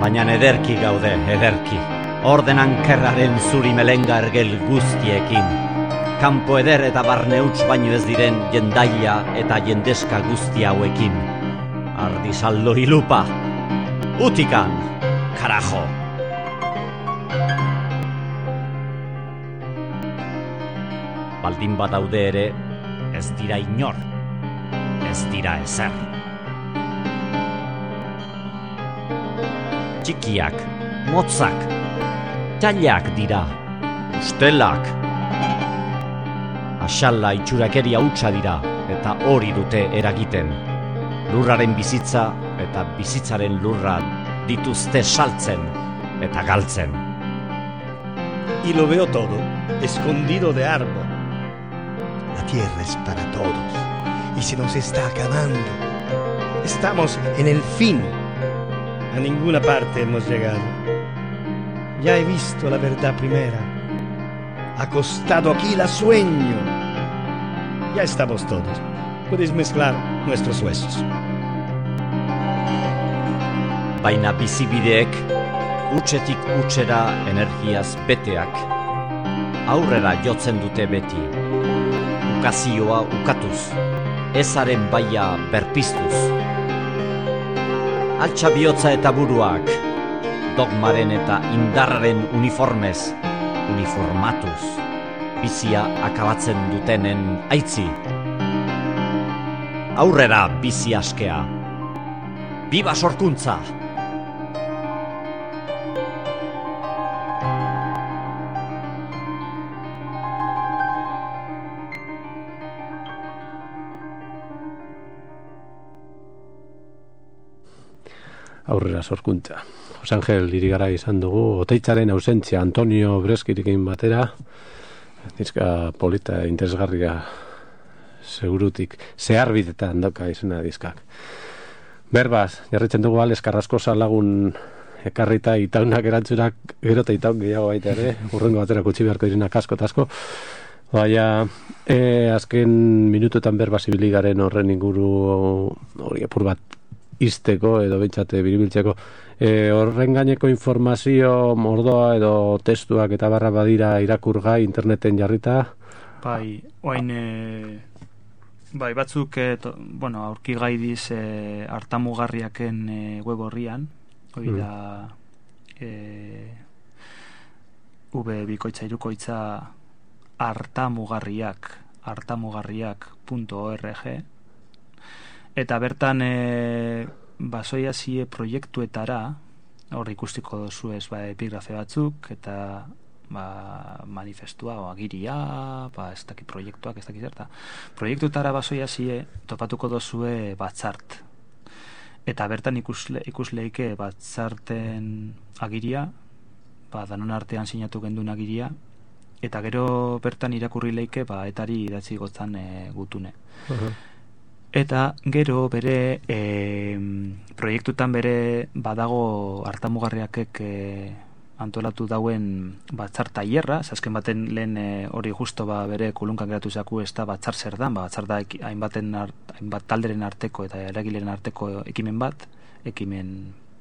Baina ederki gaude, ederki, ordenan kerraren zuri melenga ergel guztiekin. kanpo eder eta barne huts baino ez diren jendaila eta jendeska guzti hauekin. Ardisaldo ilupa, utikan, karajo! Baldin badaude ere, ez dira inor, ez dira ezer. Txikiak, motzak, txailak dira, ustelak. Axala itxurakeria hutsa dira, eta hori dute eragiten. Lurraren bizitza eta bizitzaren lurra dituzte saltzen eta galtzen. Y lo veo todo, escondido de árbol. La tierra es para todos, y se nos está acabando. Estamos en el fin. A ninguna parte hemos llegado. Ya he visto la verdad primera. Acostado aquí la sueño. Ya estamos todos. Puedes mezclar nuestros huesos. Baina bizibideek, utxetik utxera energiaz beteak, aurrera jotzen dute beti. Ukazioa ukatuz, ezaren baia berpiztuz. Altxa bihotza eta buruak, dogmaren eta indarraren uniformez, uniformatuz, bizia akabatzen dutenen aitzi. Aurrera bizi askea. Biba sorkuntza! Aurrera sorkuntza. Jose Angel Irigara izan dugu, Oteitzaren ausentzia Antonio Breskirikin batera, dizka polita interesgarria segurutik, zeharbidetan dauka izena dizkak. Berbaz, jarritzen dugu Alex Carrascosa lagun ekarrita itaunak erantzunak, gero eta itaun gehiago baita ere, urrengo batera kutsi beharko direnak asko eta asko. Baina, e, azken minututan berbaz ibili garen horren inguru hori apur bat izteko edo bentsate biribiltzeko. E, horren gaineko informazio mordoa edo testuak eta barra badira irakurgai interneten jarrita. Bai, oain e, bai, batzuk e, to, bueno, aurki gaidiz e, hartamugarriaken e, web horrian, hori da e, v bikoitza irukoitza hartamugarriak hartamugarriak punto org. Eta bertan e, basoia zie proiektuetara, hor ikustiko dozu ez ba, epigrafe batzuk, eta ba, manifestua, o agiria, ba, ez daki proiektuak, ez daki zerta. Proiektuetara basoia zie topatuko dozue batzart. Eta bertan ikusle, ikusleike batzarten agiria, ba, danon artean sinatu gendun agiria, eta gero bertan irakurri leike ba, etari idatzi gotzan e, gutune. Uh-huh. Eta gero bere e, proiektutan bere badago hartamugarriakek e, antolatu dauen batzar tailerra, azken baten lehen hori e, justo ba, bere kulunkan geratu zaku ez da batzar zer dan, ba, batzar da eki, hainbaten art, hainbat talderen arteko eta eragileen arteko ekimen bat, ekimen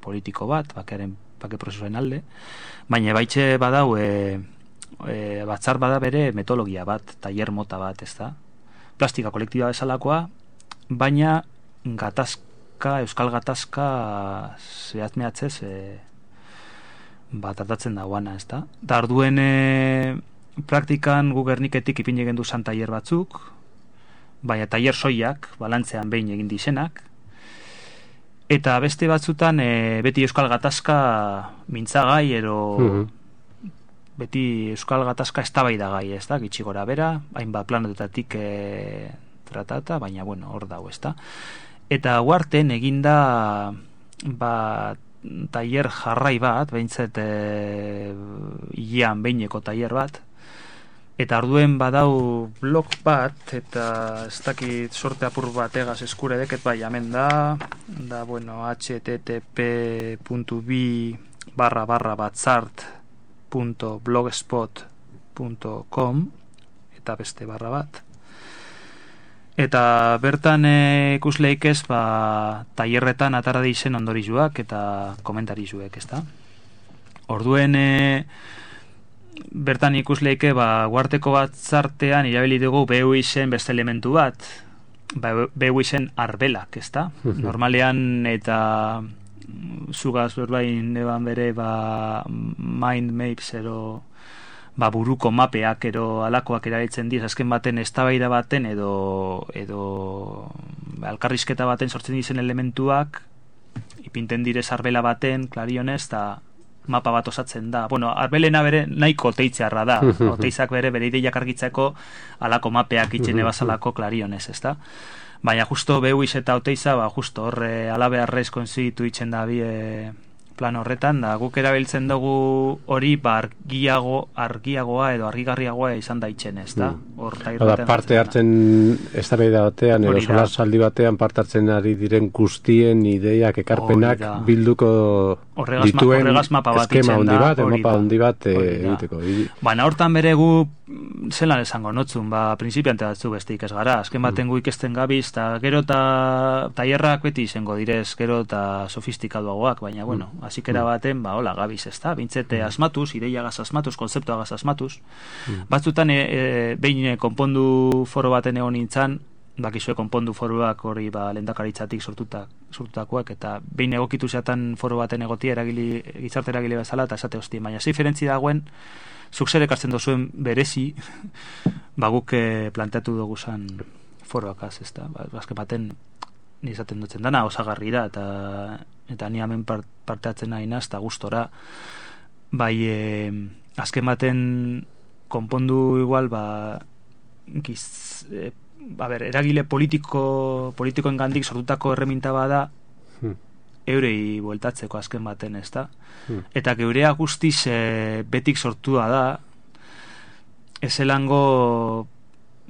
politiko bat, bakearen bake prozesuen alde, baina baitxe badau e, e, batzar bada bere metodologia bat, tailer mota bat, ez da, plastika kolektiba bezalakoa, baina gatazka, euskal gatazka zehatmeatzez e, bat tratatzen dagoana, ez da? Da orduen e, praktikan gu Gerniketik ipin egin duzan tailer batzuk, baina tailer soiak, balantzean behin egin dizenak, eta beste batzutan e, beti euskal gatazka mintzagai, ero mm-hmm. beti euskal gatazka eztabaidagai, ez da? Gitxi gora bera, hainbat planetetatik e, tratata, baina bueno, hor dago, ezta. Eta huarten eginda ba, tailer jarrai bat, behintzet e, ilean behineko tailer bat, eta orduen badau blog bat, eta ez dakit sorte apur bat egaz eskure deket, bai, hemen da, da, bueno, h t t p punto b barra barra batzart punto blogspot punto com eta beste barra bat. Eta bertan e, ikusleik ez, ba, tailerretan atara dizen ondorizuak eta komentarizuek, ez da? Orduen, e, bertan ikusleike, ba, guarteko batzartean irabili dugu B U I-sen beste elementu bat, ba, B U I-sen arbelak, ezta? Normalean eta zugaz berbain eban bere, ba, mind maps ero, ba, buruko mapeak ero alakoak erabiltzen diz, azken baten eztabaida baten edo edo alkarrizketa baten sortzen dizen elementuak ipinten direz arbela baten, klarionez, eta mapa bat osatzen da. Bueno, arbelena bere nahiko teitzearra da. Oteizak bere bere ideiak argitzeko alako mapeak itxene bazalako klarionez, ezta? Baina justo B U I eta Oteiza, ba, justo horre alabearrez konzitu itxen da bi e, plan horretan, da guk erabiltzen dugu hori ba, argiago, argiagoa edo argigarriagoa izan da itxen, ez da? Hor, da parte hartzen eztabaida batean, edo solasaldi batean parte hartzen ari diren guztien ideiak, ekarpenak bilduko horregaz, dituen horregaz mapa bat eskema handi bat, da, mapa handi bat egiteko. Baina hortan bere gu zelan esango notzun, ba, prinsipiante batzu besteik ez gara, azken baten gu ikesten gabiz, eta gero eta tailerrak beti izango direz, gero eta sofistikaduagoak, baina, bueno, hasikera baten, ba, hola, gabiz, ez da, bintzete asmatuz, ideiagaz asmatuz, konzeptuagaz asmatuz, batzutan, e, e, behin konpondu foro baten egon nintzen, bakizue konpondu foroak hori, ba, lehendakaritzatik sortutak, sortutakoak, eta behin egokitu zeatan foro baten egotia, eragili, gizarte eragile bezala, eta esate hosti, baina ze diferentzi dagoen, zuk zer ekartzen dozuen berezi, ba, guk planteatu dugu zan foroakaz, ez da, ba, azken baten, nizaten dutzen dana, osagarri da, eta eta ni hemen part, parteatzen nahi naz, eta gustora, bai, e, azken baten konpondu igual, ba, giz, e, a ber, eragile politiko, politikoen gandik sortutako erreminta bada, hmm. eurei bueltatzeko azken baten, ez da? Hmm. Eta geurea guztiz e, betik sortua da, ezelango,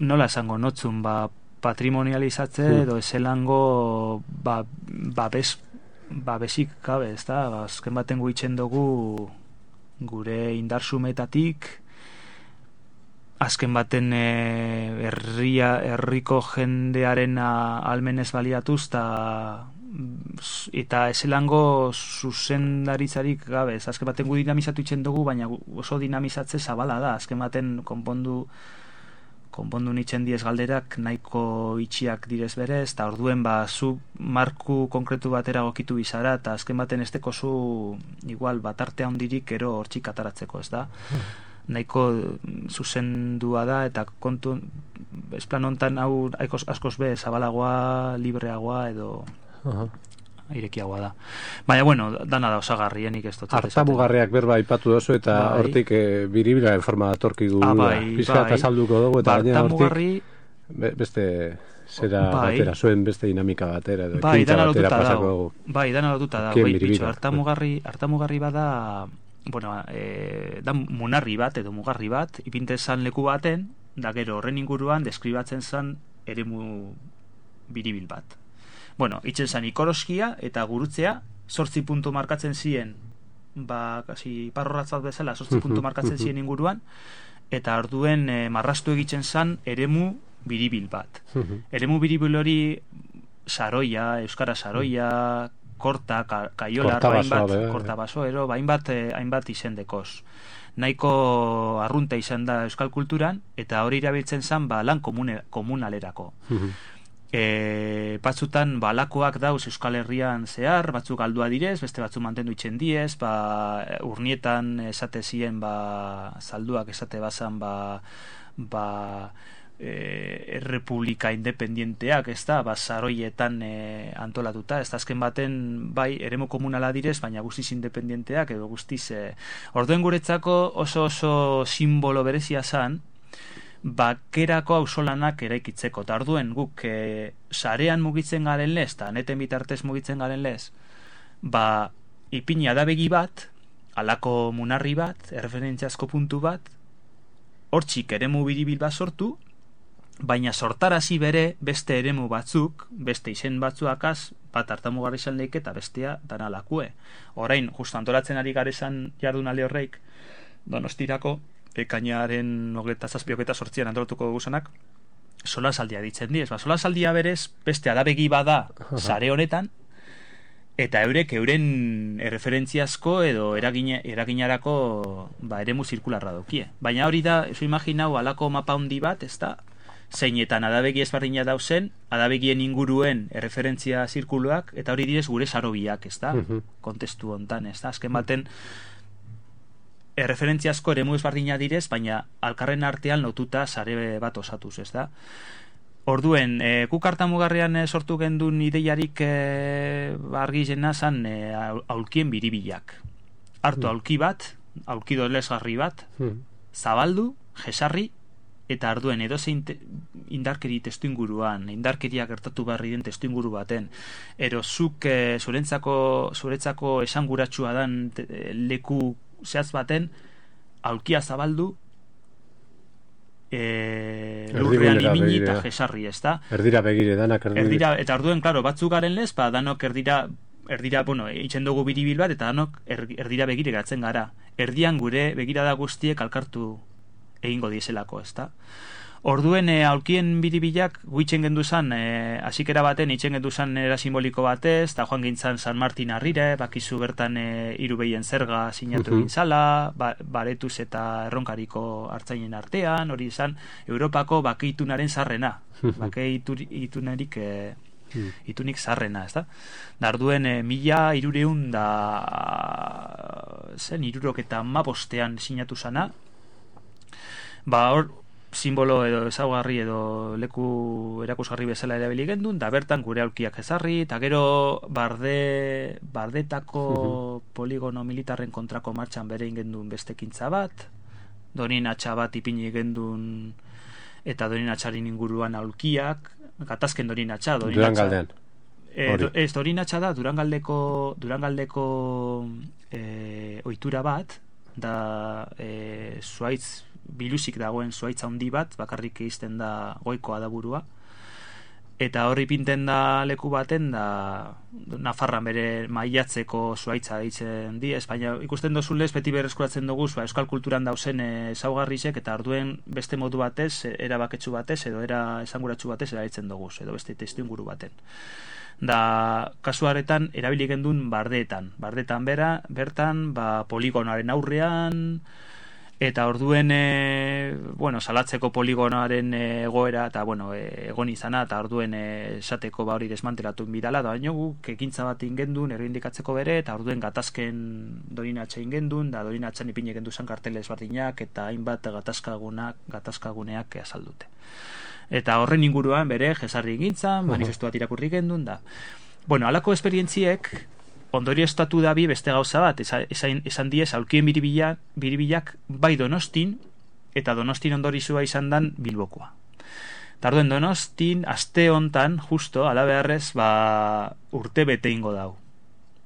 nola esango notzun, ba, patrimonializatze, hmm. edo ezelango, ba, ba, bez, ba, besik gabe, ez da? Ba, azken baten guitzen dugu gure indarsumetatik, azken baten e, herria, herriko jendearen almenez baliatuz, ta, eta ezelango zuzendaritzarik gabe, ez azken baten gu dinamizatu itzen dugu, baina oso dinamizatze zabala da, azken baten konpondu konpondu nitzen diez galderak nahiko itxiak direz berez, eta orduen ba, zu marku konkretu batera gokitu bizara, eta azken baten esteko zu igual bat arte handirik ero hortxik ataratzeko, ez da? Nahiko zuzendua da, eta kontu esplan hontan hau askoz be zabalagoa, libreagoa edo uh-huh. irekiagoa da. Baina, bueno, dana da osagarrienik ez dut. Artamugarriak berba aipatu dozu, eta bai. Hortik e, biribila forma datorkigu ah, bai, pizka eta bai. Salduko dugu, eta gaina hortik be, beste zera bai. batera, zuen beste dinamika batera, edo bai, ekintza batera pasako dugu. Bai, dana lotuta da, bai, bitxo, artamugarri, artamugarri bada, bueno, e, da munarri bat, edo mugarri bat, ipinte zan leku baten, da gero horren inguruan deskribatzen zan eremu biribil bat. Bueno, itzen zan ikoroskia eta gurutzea, sortzi puntu markatzen ziren, ba, kasi parrorratzat bezala, sortzi puntu markatzen ziren inguruan, eta orduen e, marrastu egiten zan eremu biribil bat. Eremu biribil hori saroia, euskara saroia, korta, ka, kaiolar, hainbat, korta basoero, hainbat, hainbat izendekoz. Nahiko arrunta izan da euskal kulturan, eta hori irabiltzen zan ba, lan komune, komunalerako. E, batzutan balakoak dauz Euskal Herrian zehar, batzuk galdua direz, beste batzuk mantendu itzen diez, ba, urnietan esate ziren ba, zalduak esate bazan ba, ba, e, errepublika independienteak, ez da, ba, saroietan e, antolatuta, ez da, azken baten bai, eremu komunala direz, baina guztiz independienteak edo guztiz e, orduen guretzako oso oso simbolo berezia zan, bakerako auzolanak eraikitzeko, eta orduen guk e, sarean mugitzen garen lez, eta neten bitartez mugitzen garen lez, ba, ipini adabegi bat, alako munarri bat, erreferentziazko puntu bat, hortxik eremu biribil bat sortu, baina sortarazi bere beste eremu batzuk, beste izen batzuakaz, bat artamugarri izan leike eta bestea dana lakue. Orain, justu antolatzen ari garezan jardunaldi horreik, Donostirako, ekainaren hogeita zazpioketa sortzian antolatuko guzanak, solasaldia ditzen diez. Ba, solasaldia berez, beste adabegi bada sare honetan, eta eurek euren erreferentziazko edo eragina, eraginarako ba, eremu zirkularra daukie. Baina hori da, eso imaginau, alako mapa handi bat, ez da, zeinetan adabegi ezberdina dauzen, adabegien inguruen erreferentzia zirkuluak, eta hori direz gure sarobiak, ez da, kontestu hontan, ez da, azken baten erreferentziazko eremu ezberdina direz, baina alkarren artean lotuta sare bat osatuz, ez da. Orduen, e, guk hartamugarrean e, sortu gendun ideiarik e, argi jena zan e, aulkien biribilak. Hartu aulki bat, aulki dolesgarri bat, zabaldu, jesarri, eta arduen edozein indarkeri testu inguruan, indarkeria gertatu barri den testu inguru baten, ero zuk e, zurentzako, zuretzako esanguratsua dan te, leku zehaz baten, aulkia zabaldu, e, lurrean imini eta jesarri, ez da? Erdira begire, danak erdira. Erdira, eta arduen, klaro, batzuk garen lez, ba, danok erdira, erdira, bueno, itxen dugu biribil bat, eta danok er, erdira begire gatzen gara. Erdian gure begirada guztiek alkartu egingo dieselako, ez da? Orduen, e, aulkien biribilak guitzen gendu zan, e, asikera baten, itxen gendu zan era simboliko batez, eta joan gintzan San Martin arrire, bakizu bertan e, hiru behien zerga sinatu uh-huh. gintzala, ba, baretuz eta erronkariko hartzainen artean, hori izan, Europako bakeitunaren zarrena, bakeitunarik e, uh-huh. itunik zarrena, ez da? Darduen, e, mila irureun da zen, irurok eta mabostean sinatu zana, ba, hor, simbolo edo ezaugarri edo leku erakusgarri bezala erabili gendun, da bertan gure aulkiak ezarri, eta gero barde, bardetako uh-huh. poligono militarren kontrako martxan bere ingendun bestekintza bat, donin atxa bat ipini gendun, eta donin atxarin inguruan aulkiak, gatazken donin atxa, donin Durangaldean. E, do, ez, donin atxa da, Durangaldeko, Durangaldeko e, ohitura bat, da e, zuaitz biluzik dagoen zuaitza handi bat, bakarrik izten da goikoa da burua, eta horri pinten da leku baten da Nafarran bere maiatzeko zuaitza ditzen di, Espainia ikusten dozulez beti berreskuratzen dugu ba, euskal kulturan dauzen ezaugarrisek, eta arduen beste modu batez, erabaketsu batez edo era esanguratsu batez erabiltzen dugu, edo beste testuinguru baten. Da kasuaretan erabili gendun bardeetan, bardeetan bera, bertan ba, poligonoaren aurrean, eta orduen e, bueno, salatzeko poligonoaren egoera eta bueno, e, egon izana, eta orduen esateko ba hori desmantelatu bidala, da baino guk ekintza bat ingendun errindikatzeko bere, eta orduen gatazken dorinatxa ingendun, da dorinatxan ipine gendu zan karteles bardinak, eta hainbat gatazkagunak, gatazkaguneak azaldute. Eta horren inguruan bere jesarri egintzan, manifestu bat irakurri gendun, da. Bueno, halako esperientziek ondorio estatu da bi beste gauza bat, esan, esan diez aulkien biribilak, biribilak bai Donostin, eta Donostin ondorizua izan dan Bilbokoa. Tarduen Donostin, aste hontan, justo, ala beharrez, ba, urte bete ingo dau,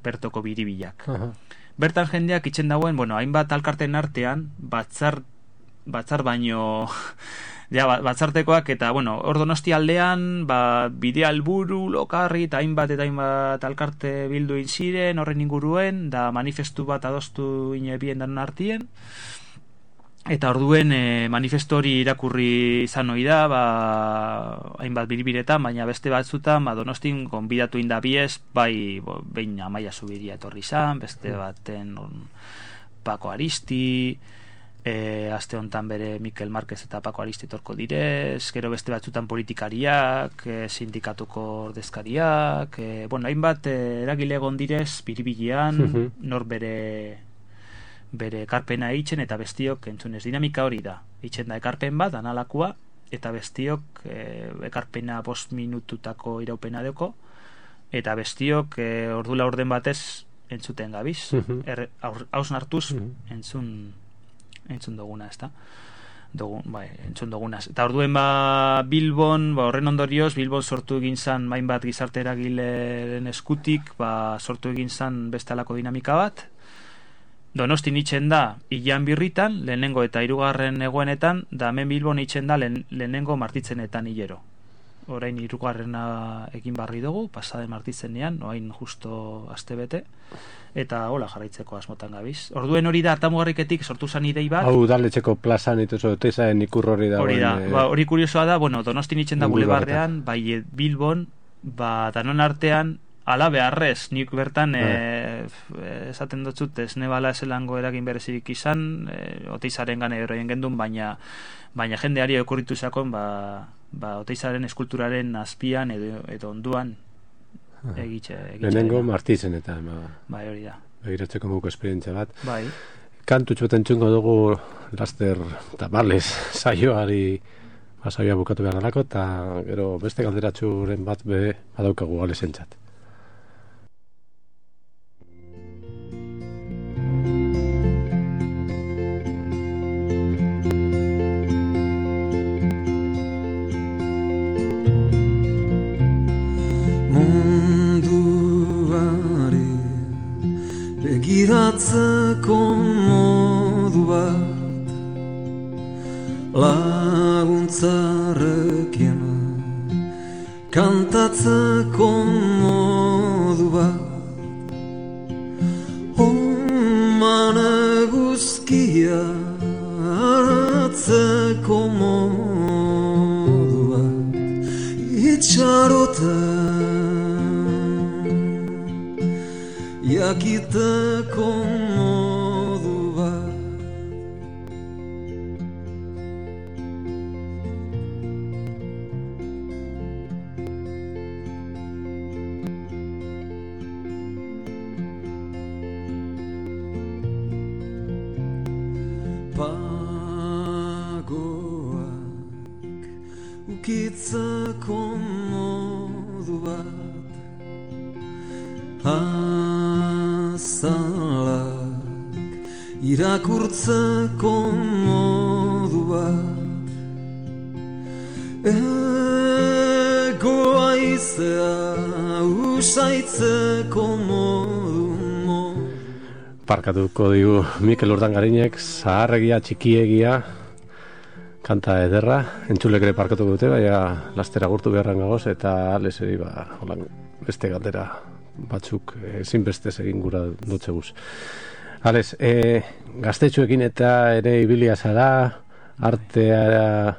bertoko biribilak. Uh-huh. Bertan jendeak itxen dagoen, bueno, hainbat alkarten artean, batzar, batzar baino... Ja, batzartekoak, eta, bueno, hor Donosti aldean, ba, bide alburu, lokarri, eta hainbat eta hainbat alkarte bildu ziren horren inguruen, da manifestu bat adostu inebien danon artien, eta orduen e, manifestu hori irakurri izan hori da, ba, hainbat biribiretan, baina beste batzutan, ba, Donostin konbidatu indabiez, bai, bo, behin Amaia Zubiria etorri izan, beste baten on, Pako Aristi, E, aste hontan bere Mikel Marquez eta Pako Aristi torko direz, gero beste batzutan politikariak, e, sindikatuko ordezkariak, e, bueno, hainbat e, eragile egon direz biribilean, uh-huh. nor bere bere ekarpena eitzen, eta bestiok entzunez dinamika hori da, eitzen da ekarpen bat analakua, eta bestiok e, ekarpena bost minututako iraupena deko, eta bestiok e, ordula orden batez entzuten gabiz, uh-huh. er, haus nartuz uh-huh. entzun entzun duguna, ez da? Dugun, bai, entzun duguna. Eta orduen ba Bilbon, ba, horren ondorioz, Bilbon sortu egin zan mainbat gizarte eragileren eskutik, ba, sortu egin zan bestalako dinamika bat. Donostin itxen da Ilan Birritan, lehenengo eta hirugarren egoenetan, da hemen Bilbon itxen da lehen, lehenengo martitzenetan hilero. Orain hirugarrena egin barri dugu, pasaden martitzenean, orain justo aste bete, eta hola jarraitzeko asmotan gabiz. Orduen hori da hartamugarriketik sortu zan idei bat. Hau udaletxeko plazan ituzo tezaen ikur hori da. Hori da, e... ba, hori kuriosoa da, bueno, Donostin itxen da bulebarrean, bai Bilbon, ba danon artean ala beharrez, nik bertan e, esaten dutzut ez nebala eselango eragin berezirik izan, e, Oteizaren gane eroien gendun, baina baina jendeari okurritu zakon, ba, ba Oteizaren eskulturaren azpian edo, edo onduan egitxe. Lehenengo Martizen eta ba, bai, hori da. Begiratzeko muko esperientzia bat. Bai. Kantutxo entzungo dugu laster tabales saioari ba, saioa bukatu behar dalako, eta gero beste galderatxuren bat be badaukagu galesentzat. Munduari begiratzeko modu bat laguntzarekin kantatzeko modu bat oman eguzkia hartzeko modu bat itxaroten jakiteko modu bat pagoak ukitzeko modu bat azalak irakurtzeko modu bat egoaizea usaitzeko modu modu. Parkatuko digu Mikel Urdangarinek zaharregia txikiegia kanta ederra, entzulek ere parkatuko dute, baina lastera gurtu beharran gagoz, eta aleseri ba, holan, beste galdera batzuk ezinbestez egin gura dutzeguz. Ales, e, gaztetxuekin eta ere ibilia zara, artea,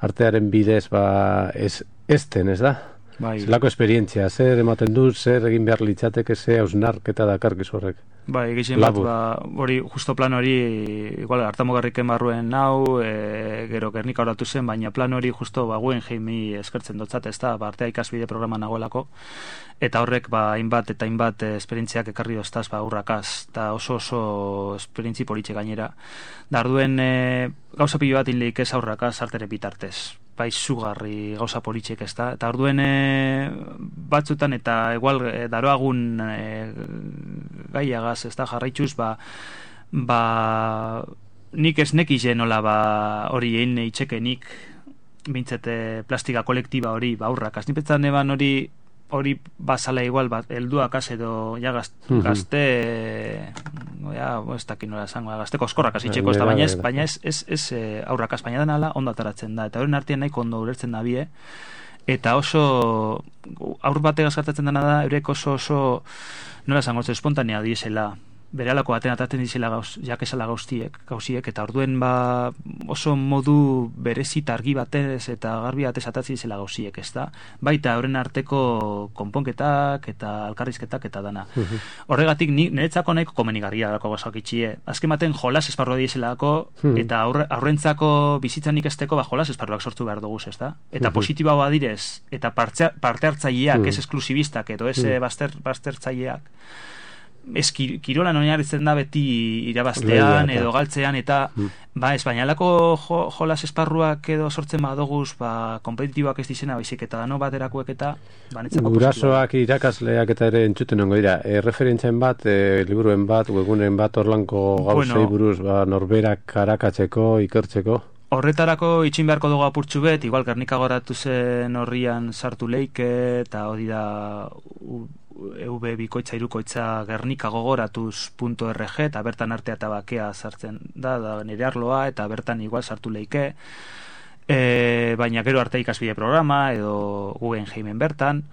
artearen bidez ba, ez, ezten, ez da? Bai. Zelako esperientzia, zer ematen du, zer egin behar litzateke, ze hausnarketa dakarkiz horrek? Bai, egiten bat, ba, hori, justo plan hori, igual, hartamugarriken barruen nau, e, gero Gernika horatu zen, baina plan hori justo, ba, Guggenheimi eskertzen dotzat, ez da, ba, artea ikasbide programa nagoelako, eta horrek, ba, hainbat eta hainbat esperientziak ekarri doztaz, ba, urrakaz, eta oso oso esperientzi politxe gainera. Darduen, e, gauza pilo bat inleik ez aurrakaz artere bitartez, bai zugarri gauza politxek ez da, eta orduen e, batzutan eta igual e, daroagun e, gaiagaz ez da jarraitxuz, ba, ba nik ez nekize nola ba hori egin itxekenik bintzete plastika kolektiba hori ba aurrakaz, nipetzan eban hori hori basala igual bat helduak edo ja gazte, mm -hmm. gazte ja, ez dakit nola esango, gazte koskorrak azitxeko ez da, baina ez, baina ez, ez, ez e, aurrakaz, baina denala ondo ataratzen da, eta horren artean nahiko ondo ulertzen da bie, eta oso aur batek azkartatzen dena da, eurek oso oso nola esango, espontanea diesela, beralako baten atatzen dizela gauz, jakesala gauziek, gauziek, eta orduen ba oso modu berezita argi batez eta garbi batez atatzen dizela gauziek, ez da? Baita horren arteko konponketak eta alkarrizketak eta dana. Uh-huh. Horregatik ni, niretzako nahiko komenigarria dako gauzak itxie. Azken baten jolas esparrua dieselako, uh-huh. eta aurre, aurrentzako bizitzan ikesteko ba jolas esparruak sortu behar dugu, ez da? Eta uh-huh. positiba badirez, eta parte, parte hartzaileak, uh-huh. ez esklusibistak, edo ez uh-huh. baster, bastertzaileak, ez kirolan oinarritzen da beti irabaztean edo galtzean eta mm. ba espainalako jo, jolas esparruak edo sortzen badoguz ba kompetitiboak ez dizena baizik eta dano baterakoek eta banetzako gurasoak irakasleak eta ere entzuten ongo dira e, referentzien bat, e, liburuen bat webunen bat orlanko gauzei bueno, buruz ba, norberak arakatzeko ikertzeko horretarako itxin beharko dugu apurtxu bet, igual Gernika goratu zen horrian sartu leike eta hori da E V bikoitza irukoitza gernika gogoratuz punto R G eta bertan artea eta bakea sartzen da, da nire arloa eta bertan igual sartu leike e, baina gero arte ikasbide programa edo Guggenheimen bertan,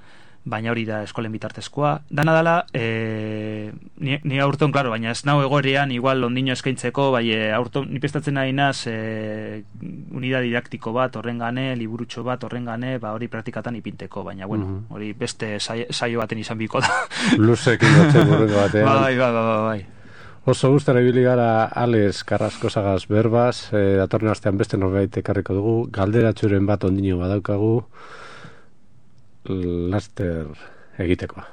baina hori da eskolen bitartezkoa dana dala, e, ni, ni aurton, klaro, baina ez nau egorean, igual ondino eskaintzeko, bai, e, aurton, ni prestatzen nahi naz, e, unidad didaktiko bat, horren gane, liburutxo bat, horren gane, ba, hori praktikatan ipinteko, baina, bueno, Mhm. hori beste saio, saio baten izan biko da. Luzekin dutxe burreko batean. Bai, bai, bai, bai. Oso gustara ibili gara Alex Carrascosagaz berbaz, e, datorren astean beste norbait ekarriko dugu, galderatxuren bat ondino badaukagu, laster egitekoa.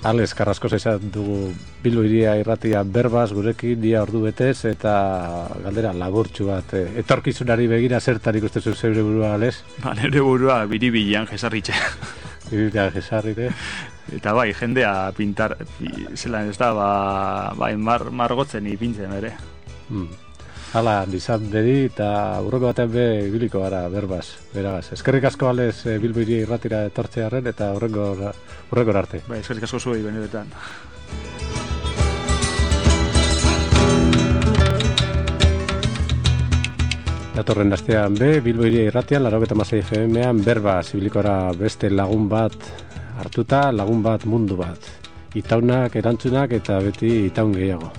Alex Carrascosa izan dugu Bilbo Hiria irratia berbaz gurekin dia ordu betez eta galdera laburtxu bat. E, etorkizunari begira zertan ikusten zu zeure burua, Alex? Ba, nire burua biribilan jesarritxe. Biribilan jesarrite. Eta bai, jendea pintar, pi, zelan ez da, ba, bai, mar, margotzen ipintzen ere. Hmm. Hala, dizan bedi eta urroko batean be ibiliko gara berbaz, beragaz. Eskerrik asko, Alex, e, Bilbo Hiria irratira etortzearen eta urrengo urrengor arte. Bai, eskerrik asko zuei benetan. Datorren astean be, Bilbo Hiria irratian, laurogeita hamasei F M-an berba zibilikora beste lagun bat hartuta, lagun bat mundu bat. Itaunak, erantzunak eta beti itaun gehiago.